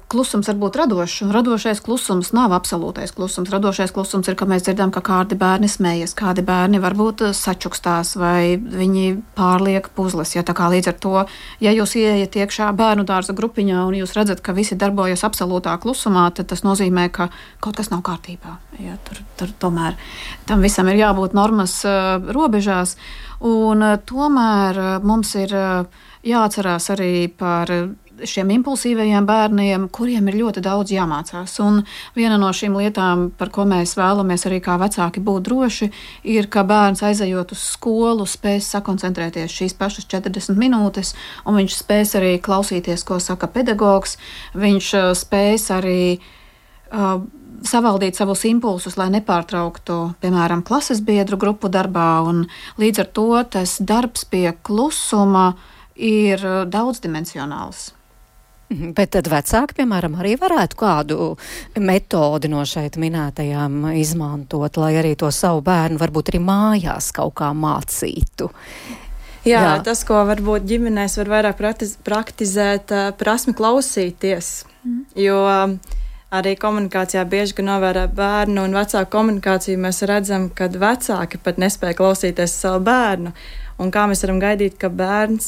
klusums var būt radošs, un radošais klusums nav absolūtais klusums. Radošais klusums ir, ka mēs dzirdam, ka kādi bērni smējas, kādi bērni varbūt sačukstās vai viņi pārliek puzles. Ja, tā kā līdz ar to, ja jūs ieiet iekšā bērnu dārza grupiņā un jūs redzat, ka visi darbojas absolūtā klusumā, tad tas nozīmē, ka kaut kas nav kārtībā. Ja, tur tomēr tam visam ir jābūt normas robežās, un tomēr mums ir jāatcerās arī par šiem impulsīvajiem bērniem, kuriem ir ļoti daudz jāmācās. Un viena no šīm lietām, par ko mēs vēlamies arī kā vecāki būt droši, ir, ka bērns aizejot uz skolu spēs sakoncentrēties šīs pašas 40 minūtes, un viņš spēs arī klausīties, ko saka pedagogs, viņš spēs arī savaldīt savus impulsus, lai nepārtrauktu, piemēram, klases biedru grupu darbā, un līdz ar to tas darbs pie klusuma ir daudzdimensionāls. Bet tad vecāki, piemēram, arī varētu kādu metodi no šeit minētajām izmantot, lai arī to savu bērnu varbūt arī mājās kaut kā mācītu. Jā, tas, ko varbūt ģimenēs var vairāk praktizēt, prasmi klausīties, jo arī komunikācijā bieži, kad novērā bērnu un vecāku komunikāciju, mēs redzam, ka vecāki pat nespēja klausīties savu bērnu. Un kā mēs varam gaidīt, ka bērns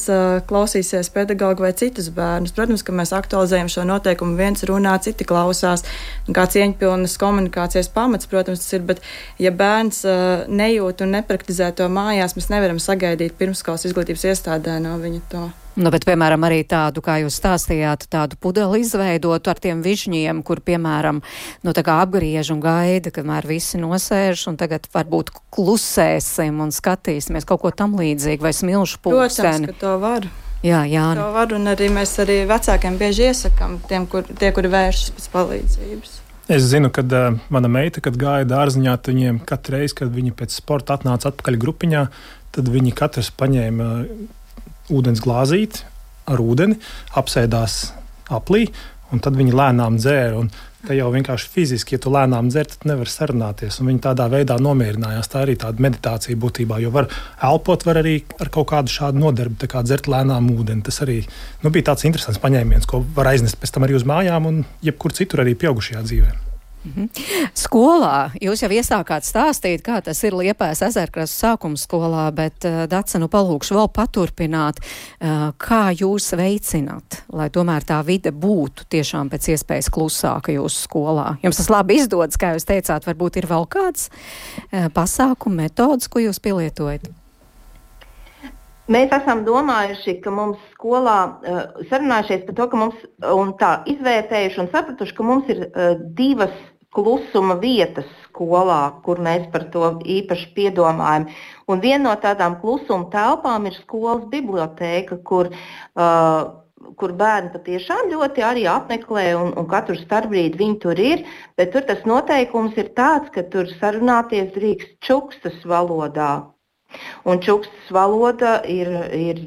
klausīsies pedagogu vai citus bērnus? Protams, ka mēs aktualizējam šo noteikumu, viens runā, citi klausās. Kā cieņpilnas komunikācijas pamats, protams, tas ir, bet ja bērns nejūt un nepraktizē to mājās, mēs nevaram sagaidīt pirmskolas izglītības iestādē no viņa to. Bet, piemēram, arī tādu, kā jūs stāstījāt, tādu pudeli izveidotu ar tiem višņiem, kur, piemēram, tā kā apgriež un gaida, kamēr visi nosēž, un tagad varbūt klusēsim un skatīsimies kaut ko tam līdzīgi, vai smilšu pulksteni. Protams, ka to var. Jā. To var, un arī mēs arī vecākiem bieži iesakām, tie, kuri vēršas pēc palīdzības. Es zinu, kad mana meita, kad gāja dārziņā, viņiem katru reizi, kad viņi pēc sporta atnāca atpakaļ grupiņā, tad viņi katrs paņēma ūdens glāzīti ar ūdeni, apsēdās aplī, un tad viņi lēnām dzēra. Un te jau vienkārši fiziski, ja tu lēnām dzer, tad nevar sarunāties. Un viņi tādā veidā nomierinājās. Tā arī tāda meditācija būtībā, jo var elpot, var arī ar kaut kādu šādu nodarbi, tā kā dzert lēnām ūdeni. Tas arī bija tāds interesants paņēmiens, ko var aiznest pēc tam arī uz mājām un jebkur citur arī pieaugušajā dzīvē. Skolā jūs jau iesākāt stāstīt, kā tas ir Liepājas Ezerkrastu sākuma skolā, bet Dace, palūkšu vēl paturpināt, kā jūs veicināt, lai tomēr tā vide būtu tiešām pēc iespējas klusāka jūsu skolā. Jums tas labi izdodas, kā jūs teicāt, varbūt ir vēl kāds pasākumu metodas, ko jūs pielietojat? Mēs esam domājuši, ka mums skolā, sarunājušies par to, ka mums, un tā izvērtējuši un sapratuši, ka mums ir divas klusuma vietas skolā, kur mēs par to īpaši piedomājam. Un viena no tādām klusuma telpām ir skolas bibliotēka, kur bērni patiešām ļoti arī apmeklē un katru starpbrīdi viņi tur ir, bet tur tas noteikums ir tāds, ka tur sarunāties drīkst čukstas valodā. Un čukstas valoda ir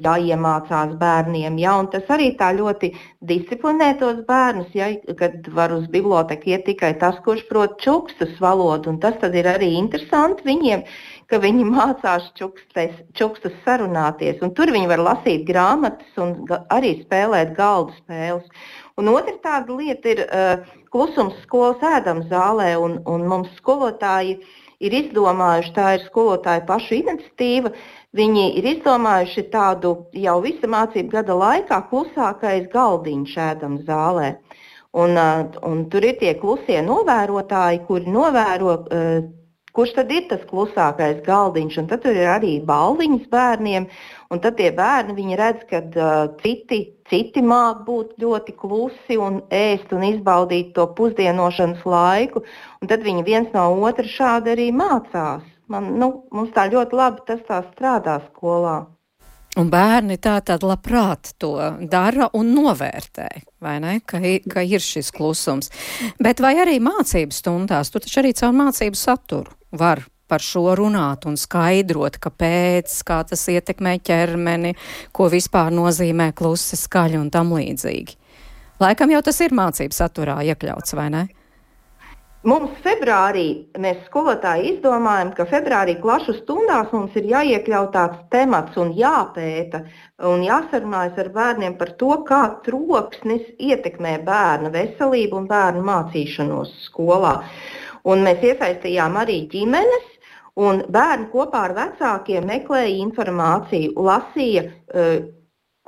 jāiemācās bērniem, un tas arī tā ļoti disciplinē tos bērnus, kad var uz biblioteku iet tikai tas, kurš prot čukstas valodu, un tas tad ir arī interesanti viņiem, ka viņi mācās čukstus sarunāties. Un tur viņi var lasīt grāmatas un arī spēlēt galdu spēles. Un otra tāda lieta ir klusums skolas ēdamzālē, un mums skolotāji ir izdomājuši, tā ir skolotāju pašu iniciatīva, viņi ir izdomājuši tādu jau visa mācību gada laikā klusākais galdiņš ēdamzālē. Un tur ir tie klusie novērotāji, kuri novēro, kurš tad ir tas klusākais galdiņš, un tad tur ir arī baldiņas bērniem, un tad tie bērni, viņi redz, ka citi māk būt ļoti klusi un ēst un izbaudīt to pusdienošanas laiku, un tad viņi viens no otra šādi arī mācās. Mums tā ļoti labi tas tā strādā skolā. Un bērni tātad labprāt to dara un novērtē, vai ne, ka ir šis klusums. Bet vai arī mācību stundās, tu taču arī caur mācību saturu var par šo runāt un skaidrot, kāpēc, kā tas ietekmē ķermeni, ko vispār nozīmē klusi skaļi un tam līdzīgi. Laikam jau tas ir mācību saturā iekļauts, vai ne? Mums februārī, mēs skolotāji izdomājam, ka februārī klašu stundās mums ir jāiekļaut tāds temats un jāpēta un jāsarunājas ar bērniem par to, kā troksnis ietekmē bērna veselību un bērnu mācīšanos skolā. Un mēs iesaistījām arī ģimenes, un bērni kopā ar vecākiem meklēja informāciju, lasīja,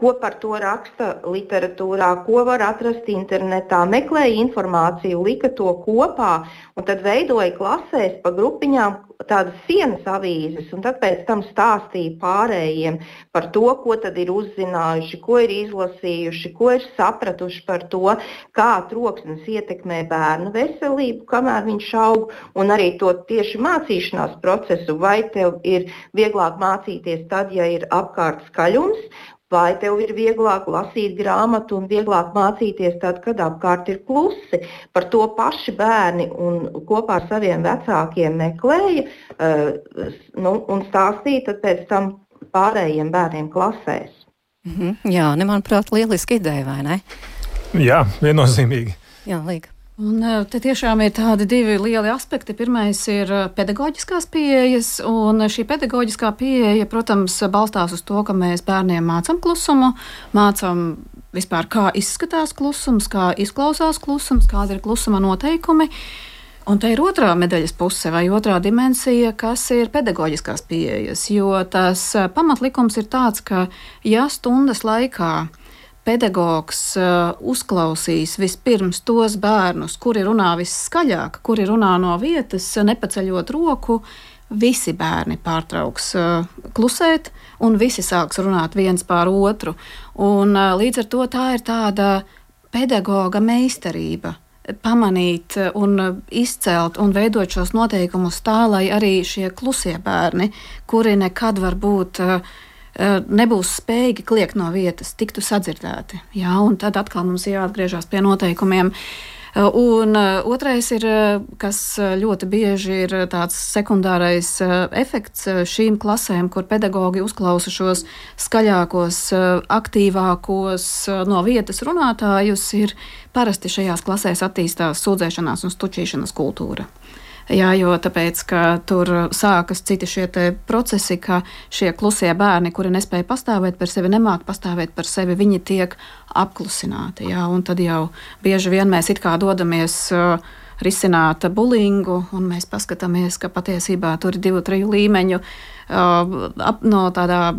ko par to raksta literatūrā, ko var atrast internetā, meklēja informāciju, lika to kopā un tad veidoja klasēs pa grupiņām tādas sienas avīzes un tad pēc tam stāstīja pārējiem par to, ko tad ir uzzinājuši, ko ir izlasījuši, ko ir sapratuši par to, kā troksnis ietekmē bērnu veselību, kamēr viņš aug, un arī to tieši mācīšanās procesu, vai tev ir vieglāk mācīties tad, ja ir apkārt skaļums, vai tev ir vieglāk lasīt grāmatu un vieglāk mācīties tad, kad apkārt ir klusi. Par to paši bērni un kopā ar saviem vecākiem meklēja un stāstīja tad pēc tam pārējiem bērniem klasēs. Jā, manuprāt, lieliski ideja, vai ne? Jā, viennozīmīgi. Jā, Līga. Un te tiešām ir tādi divi lieli aspekti. Pirmais ir pedagoģiskās pieejas, un šī pedagoģiskā pieeja, protams, balstās uz to, ka mēs bērniem mācam klusumu, mācam vispār, kā izskatās klusums, kā izklausās klusums, kāda ir klusuma noteikumi. Un te ir otrā medaļas puse vai otrā dimensija, kas ir pedagoģiskās pieejas, jo tas pamatlikums ir tāds, ka ja stundas laikā pedagogs uzklausīs vispirms tos bērnus, kuri runā visskaļāk, kuri runā no vietas, nepaceļot roku, visi bērni pārtrauks klusēt un visi sāks runāt viens pār otru. Un līdz ar to tā ir tāda pedagoga meistarība pamanīt un izcelt un veidot šos noteikumus tā, lai arī šie klusie bērni, kuri nekad varbūt nebūs spējīgi kliegt no vietas, tiktu sadzirdēti. Jā, un tad atkal mums jāatgriežas pie noteikumiem. Un otrais ir, kas ļoti bieži ir tāds sekundārais efekts šīm klasēm, kur pedagogi uzklausa šos skaļākos, aktīvākos no vietas runātājus, ir parasti šajās klasēs attīstās sūdzēšanās un stučīšanas kultūra. Jā, jo tāpēc, ka tur sākas citi šie procesi, ka šie klusie bērni, kuri nespēja pastāvēt par sevi, nemāk pastāvēt par sevi, viņi tiek apklusināti. Jā, un tad jau bieži vien mēs it kā dodamies risināt bulingu, un mēs paskatāmies, ka patiesībā tur ir 2-3 līmeņu. No tādā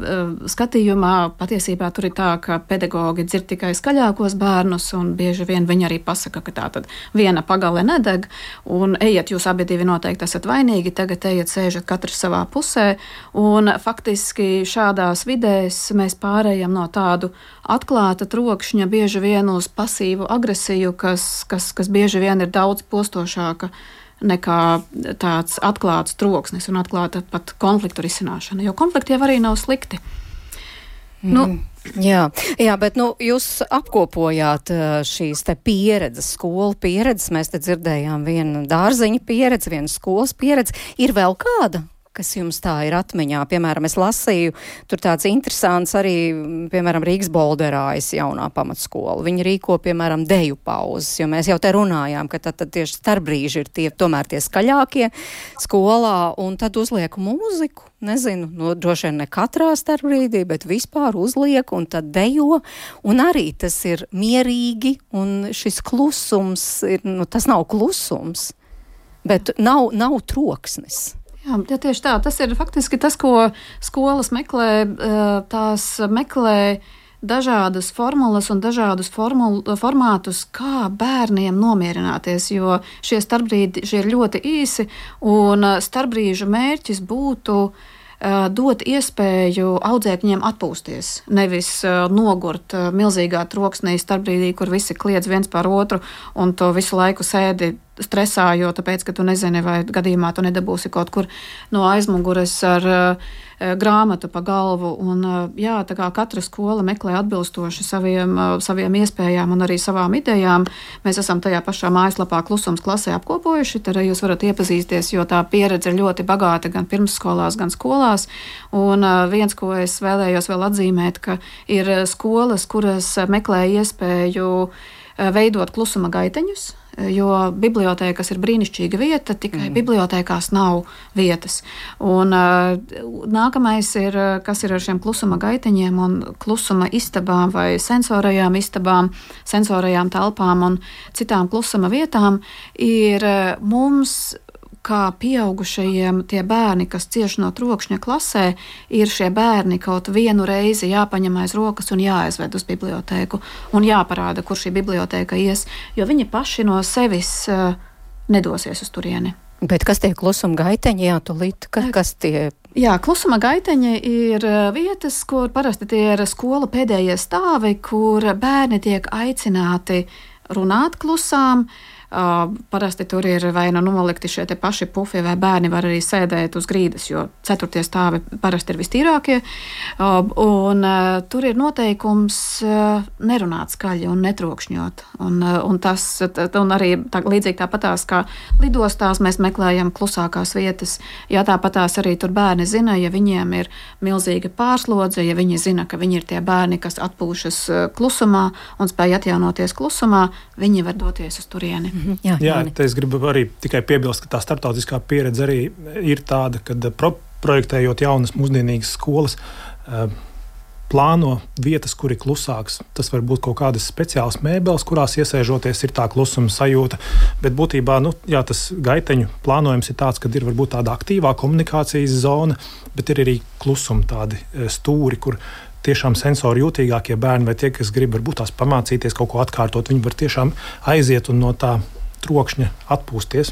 skatījumā patiesībā tur ir tā, ka pedagogi dzird tikai skaļākos bērnus, un bieži vien viņi arī pasaka, ka tā tad viena pagale nedeg, un ejiet, jūs abi divi noteikti esat vainīgi, tagad ejiet, sēžat katrs savā pusē, un faktiski šādās vidēs mēs pārējam no tādu atklāta trokšņa bieži vien uz pasīvu agresiju, kas bieži vien ir daudz postošāka nekā tāds atklāts troksnis un atklāta pat konfliktu risināšana, jo konflikti jau arī nav slikti. Jā, bet jūs apkopojāt šīs te pieredzes, skolu pieredzes, mēs te dzirdējām vienu dārziņa pieredzi, vienu skolas pieredzi. Ir vēl kāda kas jums tā ir atmiņā? Piemēram, es lasīju, tur tāds interesants arī, piemēram, Rīgas Bolderājas jaunā pamatskola. Viņi rīko, piemēram, deju pauzes, jo mēs jau te runājām, ka tad tieši starpbrīži ir tomēr tie skaļākie skolā, un tad uzliek mūziku. Nezinu, droši vien ne katrā starpbrīdī, bet vispār uzliek un tad dejo, un arī tas ir mierīgi, un šis klusums ir, tas nav klusums, bet nav troksnis. Jā, tieši tā. Tas ir faktiski tas, ko skolas meklē. Tās meklē dažādas formulas un dažādus formātus, kā bērniem nomierināties, jo šie starpbrīdi ir ļoti īsi, un starpbrīžu mērķis būtu dot iespēju audzēkņiem atpūsties, nevis nogurt milzīgā troksnī starpbrīdī, kur visi kliedz viens par otru un to visu laiku sēdi stresā, jo tāpēc, ka tu nezini, vai gadījumā tu nedabūsi kaut kur no aizmugures ar grāmatu pa galvu. Un, jā, tā kā katra skola meklē atbilstoši saviem iespējām un arī savām idejām. Mēs esam tajā pašā mājaslapā Klusums klasē apkopojuši, tad jūs varat iepazīties, jo tā pieredze ir ļoti bagāta gan pirmsskolās, gan skolās. Un viens, ko es vēlējos vēl atzīmēt, ka ir skolas, kuras meklē iespēju veidot klusuma gaiteņus, jo bibliotēkas ir brīnišķīga vieta, tikai bibliotēkās nav vietas. Un nākamais ir, kas ir ar šiem klusuma gaiteņiem un klusuma istabām vai sensorajām istabām, sensorajām telpām un citām klusuma vietām, ir mums kā pieaugušajiem tie bērni, kas cieš no trokšņa klasē, ir šie bērni kaut vienu reizi jāpaņem aiz rokas un jāaizved uz bibliotēku un jāparāda, kur šī bibliotēka ies, jo viņi paši no sevis nedosies uz turieni. Bet kas tie klusuma gaiteņi, tūlīt, kas tie? Jā, klusuma gaiteņi ir vietas, kur parasti tie ir skola pēdējie stāvi, kur bērni tiek aicināti runāt klusām. Parasti tur ir vai nolikti šie te paši pufi, vai bērni var arī sēdēt uz grīdas, jo 4. stāvi parasti ir vistīrākie. Un tur ir noteikums nerunāt skaļi un netrokšņot. Un arī līdzīgi tāpatās kā lidostās mēs meklējam klusākās vietas. Jā, tāpatās arī tur bērni zina, ja viņiem ir milzīga pārslodze, ja viņi zina, ka viņi ir tie bērni, kas atpūšas klusumā un spēj atjaunoties klusumā, viņi var doties uz turieni. Jā, es gribu arī tikai piebilst, ka tā starptautiskā pieredze arī ir tāda, kad projektējot jaunas mūsdienīgas skolas, plāno vietas, kur ir klusāks. Tas var būt kaut kādas speciālas mēbeles, kurās iesēžoties ir tā klusuma sajūta, bet būtībā, tas gaiteņu plānojums ir tāds, ka ir varbūt tāda aktīvā komunikācijas zona, bet ir arī klusuma tādi stūri, kur tiešām sensori jūtīgākie bērni vai tie, kas grib varbūt tās pamācīties, kaut ko atkārtot, viņi var tiešām aiziet un no tā trokšņa atpūsties.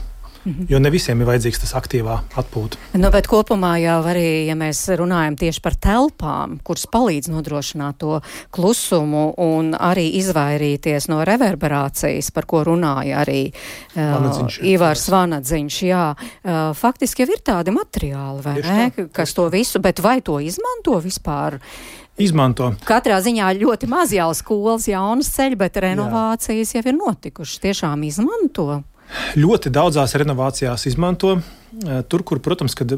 Jo ne visiem ir vajadzīgs tas aktīvā atpūta. Bet kopumā jau arī, ja mēs runājam tieši par telpām, kuras palīdz nodrošināt to klusumu un arī izvairīties no reverberācijas, par ko runāja arī Ivars Vanadziņš. Jā, faktiski jau ir tādi materiāli, vai ne, kas to visu, bet vai to izmanto vispār? Izmanto. Katrā ziņā ļoti maz jau skolas jaunas ceļi, bet renovācijas jau ir notikušas. Tiešām izmanto? Ļoti daudzās renovācijās izmanto. Tur, kur, protams, kad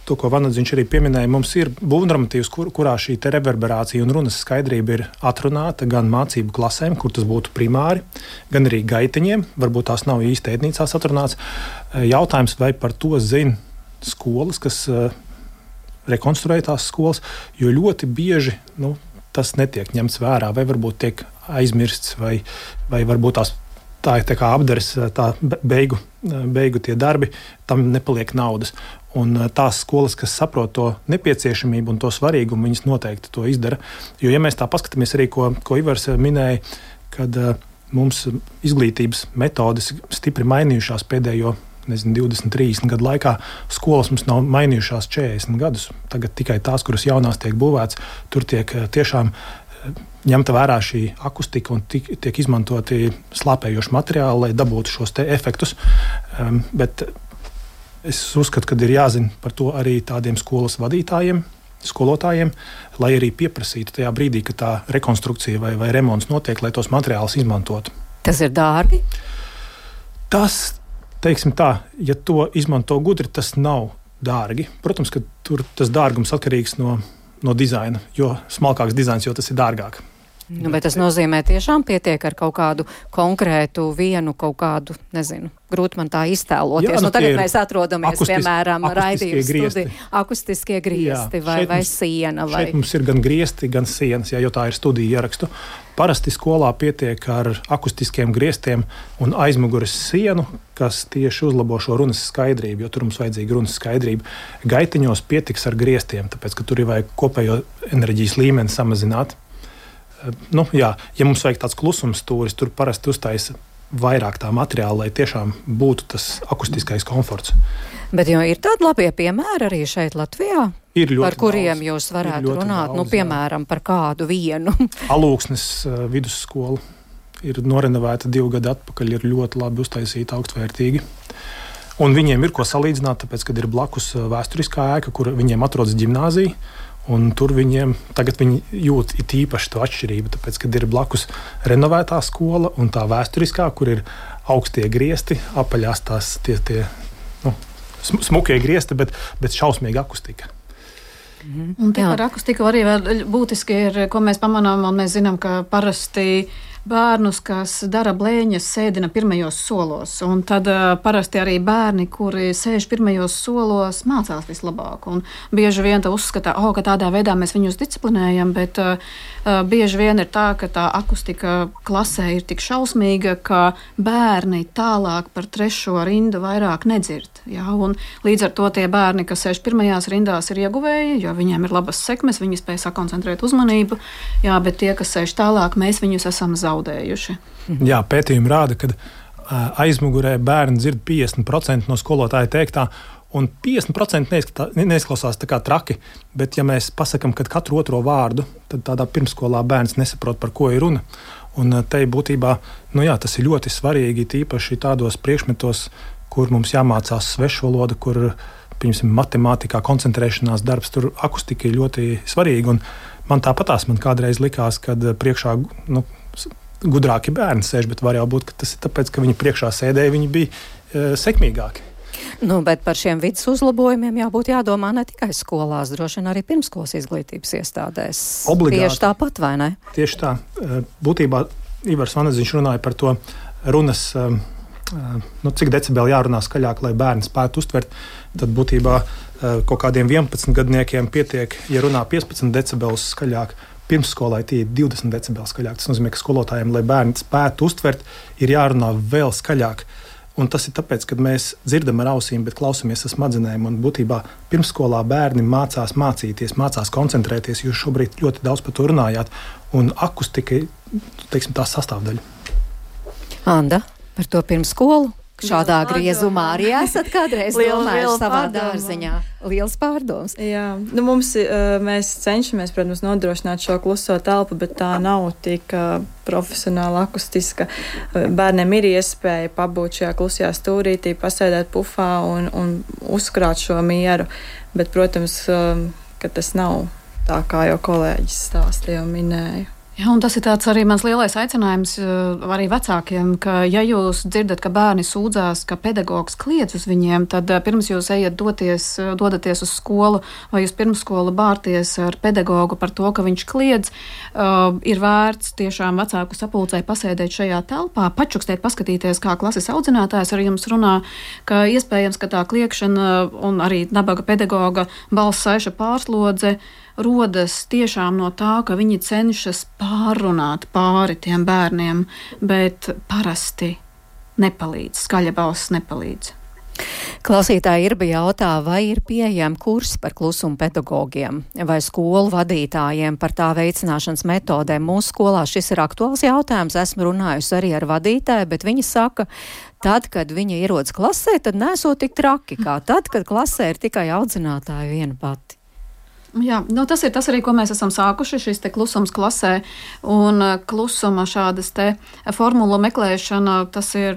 to, ko Vanadziņš arī pieminēja, mums ir būvnormatīvs, kurā šī te reverberācija un runas skaidrība ir atrunāta gan mācību klasēm, kur tas būtu primāri, gan arī gaiteņiem. Varbūt tās nav īsti ēdnīcās atrunāts. Jautājums, vai par to zina skolas, kas rekonstruē tās skolas, jo ļoti bieži tas netiek ņemts vērā, vai varbūt tiek aizmirsts, vai varbūt tā ir tā kā apdares, tā beigu tie darbi, tam nepaliek naudas. Un tās skolas, kas saprot to nepieciešamību un to svarīgumu, viņas noteikti to izdara. Jo, ja mēs tā paskatāmies arī, ko Ivars minēja, kad mums izglītības metodes stipri mainījušās pēdējo 20, 30 gadu laikā, skolas mums nav mainījušās 40 gadus. Tagad tikai tās, kuras jaunās tiek būvēts, tur tiek tiešām ņemta vērā šī akustika un tiek izmantoti slāpējoši materiāli, lai dabūtu šos te efektus. Bet es uzskatu, ka ir jāzina par to arī tādiem skolas vadītājiem, skolotājiem, lai arī pieprasītu tajā brīdī, ka tā rekonstrukcija vai remonts notiek, lai tos materiālus izmantotu. Tas ir dārgi? Tas, teiksim tā, ja to izmanto gudri, tas nav dārgi. Protams, ka tur tas dārgums atkarīgs no dizaina, jo smalkāks dizains, jo tas ir dārgāk. Bet tas nozīmē tiešām pietiek ar kaut kādu konkrētu vienu, kaut kādu, nezinu, grūti man tā iztēloties. Jā, tagad mēs atrodamies, piemēram, raidījuma studija. Akustiskie griesti vai siena. Šeit mums ir gan griesti, gan sienas, jo tā ir studija ierakstu. Parasti skolā pietiek ar akustiskiem griestiem un aizmugures sienu, kas tieši uzlabo šo runas skaidrību, jo tur mums vajadzīga runas skaidrība. Gaitiņos pietiks ar griestiem, tāpēc, ka tur ir vajag kopējo enerģijas līmeni samazināt. Ja mums vajag tāds klusums stūris, tur parasti uztaisa vairāk tā materiāla, lai tiešām būtu tas akustiskais komforts. Bet jau ir tādi labie piemēri arī šeit Latvijā, par kuriem daudz, jūs varētu runāt, daudz, piemēram, par kādu vienu. Alūksnes vidusskola ir norenovēta 2 gadu atpakaļ, ir ļoti labi uztaisīta, augstvērtīgi. Un viņiem ir ko salīdzināt, tāpēc, kad ir blakus vēsturiskā ēka, kur viņiem atrodas ģimnāzija. Un tur tagad viņi jūt it īpaši to atšķirību, tāpēc, kad ir blakus renovētā skola un tā vēsturiskā, kur ir augstie griesti, apaļās tās tie smukie griesti, bet šausmīga akustika. Un par akustiku arī būtiski ir, ko mēs pamanām, un mēs zinām, ka parasti bērnus, kas dara blēņas, sēdina pirmajos solos. Un tad parasti arī bērni, kuri sēž pirmajos solos, mācās vislabāk. Un bieži vien uzskata, ka tādā veidā mēs viņus disciplinējam, bet bieži vien ir tā, ka tā akustika klasē ir tik šausmīga, ka bērni tālāk par 3. rindu vairāk nedzird. Ja? Un līdz ar to tie bērni, kas sēž pirmajās rindās, ir ieguvēji, jo viņiem ir labas sekmes, viņi spēj sakoncentrēt uzmanību, bet tie, kas sēž tālāk, mēs viņus esam zaudējuši. Jā, pētījumi rāda, ka aizmugurē bērni dzird 50% no skolotāja teiktā, un 50% neizklausās tā kā traki, bet ja mēs pasakam, ka katru otro vārdu, tad tādā pirmskolā bērns nesaprot, par ko ir runa. Un te būtībā, tas ir ļoti svarīgi, tīpaši tādos priekšmetos, kur mums jāmācās svešvaloda, kur, piemēram, matemātikā koncentrēšanās darbs, tur akustika ir ļoti svarīga. Un man tāpatās kādreiz likās, kad priekšā gudrāki bērni sēž, bet var jau būt, ka tas ir tāpēc, ka viņi priekšā sēdēja, viņi bija sekmīgāki. Bet par šiem vidas uzlabojumiem jābūt jādomā ne tikai skolās, droši vien arī pirmskolas izglītības iestādēs. Obligāti. Tieši tāpat, vai ne? Tieši tā. Būtībā Ivars Vaneziņš runāja par to runas, cik decibeli jārunā skaļāk, lai bērni spētu uztvert. Tad būtībā kaut kādiem 11 gadniekiem pietiek, ja runā 15 decibelus skaļāk. Pirmsskolai tie ir 20 decibeli skaļāk. Tas nozīmē, ka skolotājiem, lai bērni spētu uztvert, ir jārunā vēl skaļāk. Un tas ir tāpēc, ka mēs dzirdam ar ausīm, bet klausamies ar smadzenēm. Un būtībā pirmsskolā bērni mācās mācīties, mācās koncentrēties. Jūs šobrīd ļoti daudz par to runājāt. Un akustika ir, tā sastāvdaļa. Anda, par to pirmsskolu? Šādā griezumā arī esat kādreiz domājuši savā dārziņā. Liels pārdoms. Jā, mēs cenšamies, protams, nodrošināt šo kluso telpu, bet tā nav tik profesionāla, akustiska. Bērniem ir iespēja pabūt šajā klusajā stūrītī, pasēdēt pufā un uzkrāt šo mieru. Bet, protams, ka tas nav tā, kā jau kolēģis stāstīja un minēja. Jā, un tas ir tāds arī mans lielais aicinājums arī vecākiem, ka ja jūs dzirdat, ka bērni sūdzās, ka pedagogs kliedz uz viņiem, tad pirms jūs dodaties uz skolu vai uz pirmsskolu bārties ar pedagogu par to, ka viņš kliedz, ir vērts tiešām vecāku sapulcē pasēdēt šajā telpā, pačukstēt, paskatīties, kā klases audzinātājs ar jums runā, ka iespējams, ka tā kliegšana un arī nabaga pedagoga balss saiša pārslodze rodas tiešām no tā, ka viņi cenšas pārrunāt pāri tiem bērniem, bet parasti nepalīdz, skaļa balss nepalīdz. Klausītāji Irba jautā, vai ir pieejami kursi par klusumu pedagogiem vai skolu vadītājiem par tā veicināšanas metodēm. Mūsu skolā šis ir aktuāls jautājums. Esmu runājusi arī ar vadītāju, bet viņa saka, tad, kad viņa ierodas klasē, tad nesot tik traki kā tad, kad klasē ir tikai audzinātāja viena pati. Jā, tas ir tas arī, ko mēs esam sākuši, šis te klusums klasē, un klusuma šādas te formulu meklēšana, tas ir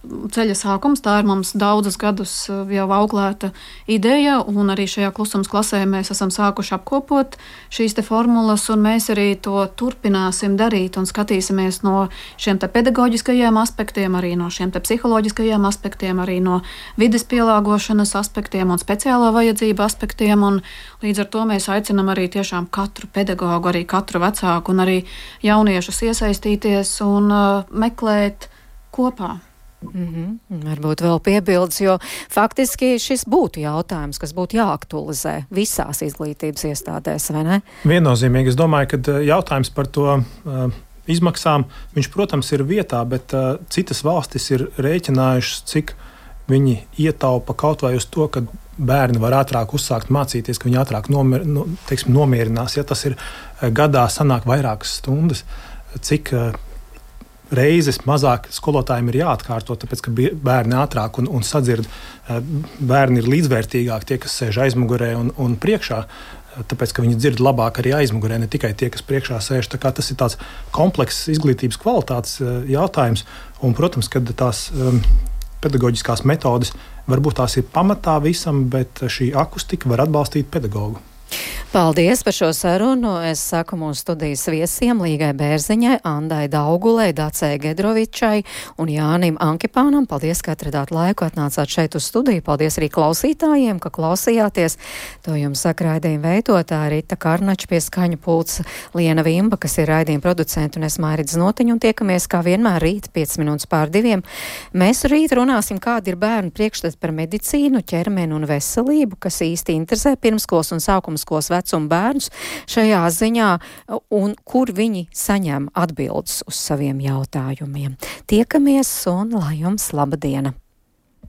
ceļa sākums, tā ir mums daudzus gadus jau auklēta ideja, un arī šajā klusums klasē mēs esam sākuši apkopot šīs te formulas, un mēs arī to turpināsim darīt un skatīsimies no šiem te pedagoģiskajiem aspektiem, arī no šiem te psiholoģiskajiem aspektiem, arī no vides pielāgošanas aspektiem un speciālo vajadzību aspektiem, un līdz ar to mēs aicinām arī tiešām katru pedagogu, arī katru vecāku un arī jauniešus iesaistīties un meklēt kopā. Varbūt vēl piebildes, jo faktiski šis būtu jautājums, kas būtu jāaktualizē visās izglītības iestādēs, vai ne? Viennozīmīgi. Es domāju, ka jautājums par to izmaksām, viņš, protams, ir vietā, bet citas valstis ir rēķinājušas, cik viņi ietaupa kaut vai uz to, ka bērni var ātrāk uzsākt mācīties, ka viņi ātrāk nomierinās. Ja tas ir gadā sanāk vairākas stundas, cik reizes mazāk skolotājiem ir jāatkārto, tāpēc, ka bērni ātrāk un sadzird, bērni ir līdzvērtīgāk tie, kas sēž aizmugurē un priekšā, tāpēc, ka viņi dzird labāk arī aizmugurē, ne tikai tie, kas priekšā sēž. Tā kā tas ir tāds komplekss izglītības kvalitātes jautājums, un, protams, kad tās pedagoģiskās metodes varbūt tās ir pamatā visam, bet šī akustika var atbalstīt pedagogu. Paldies par šo sarunu. Es saku mūsu studijas viesiem Līgai Bērziņai, Andai Daugulei, Dacei Gedrovičai un Jānim Ankipānam. Paldies, ka atradāt laiku, atnācāt šeit uz studiju. Paldies arī klausītājiem, ka klausījāties. To jums saka raidījuma veidotāja Rita Karnača, pie skaņu pults Liena Vimba, kas ir raidījuma producenta, un es Mairidz Notiņa, un tiekamies kā vienmēr rīt 5:05. Mēs rīt runāsim, kādi ir bērnu priekšstati par medicīnu, ķermeni un veselību, kas īsti interesē pirmskolas un sākumskolas vecuma bērnus šajā ziņā, un kur viņi saņem atbildes uz saviem jautājumiem. Tiekamies un lai jums laba diena!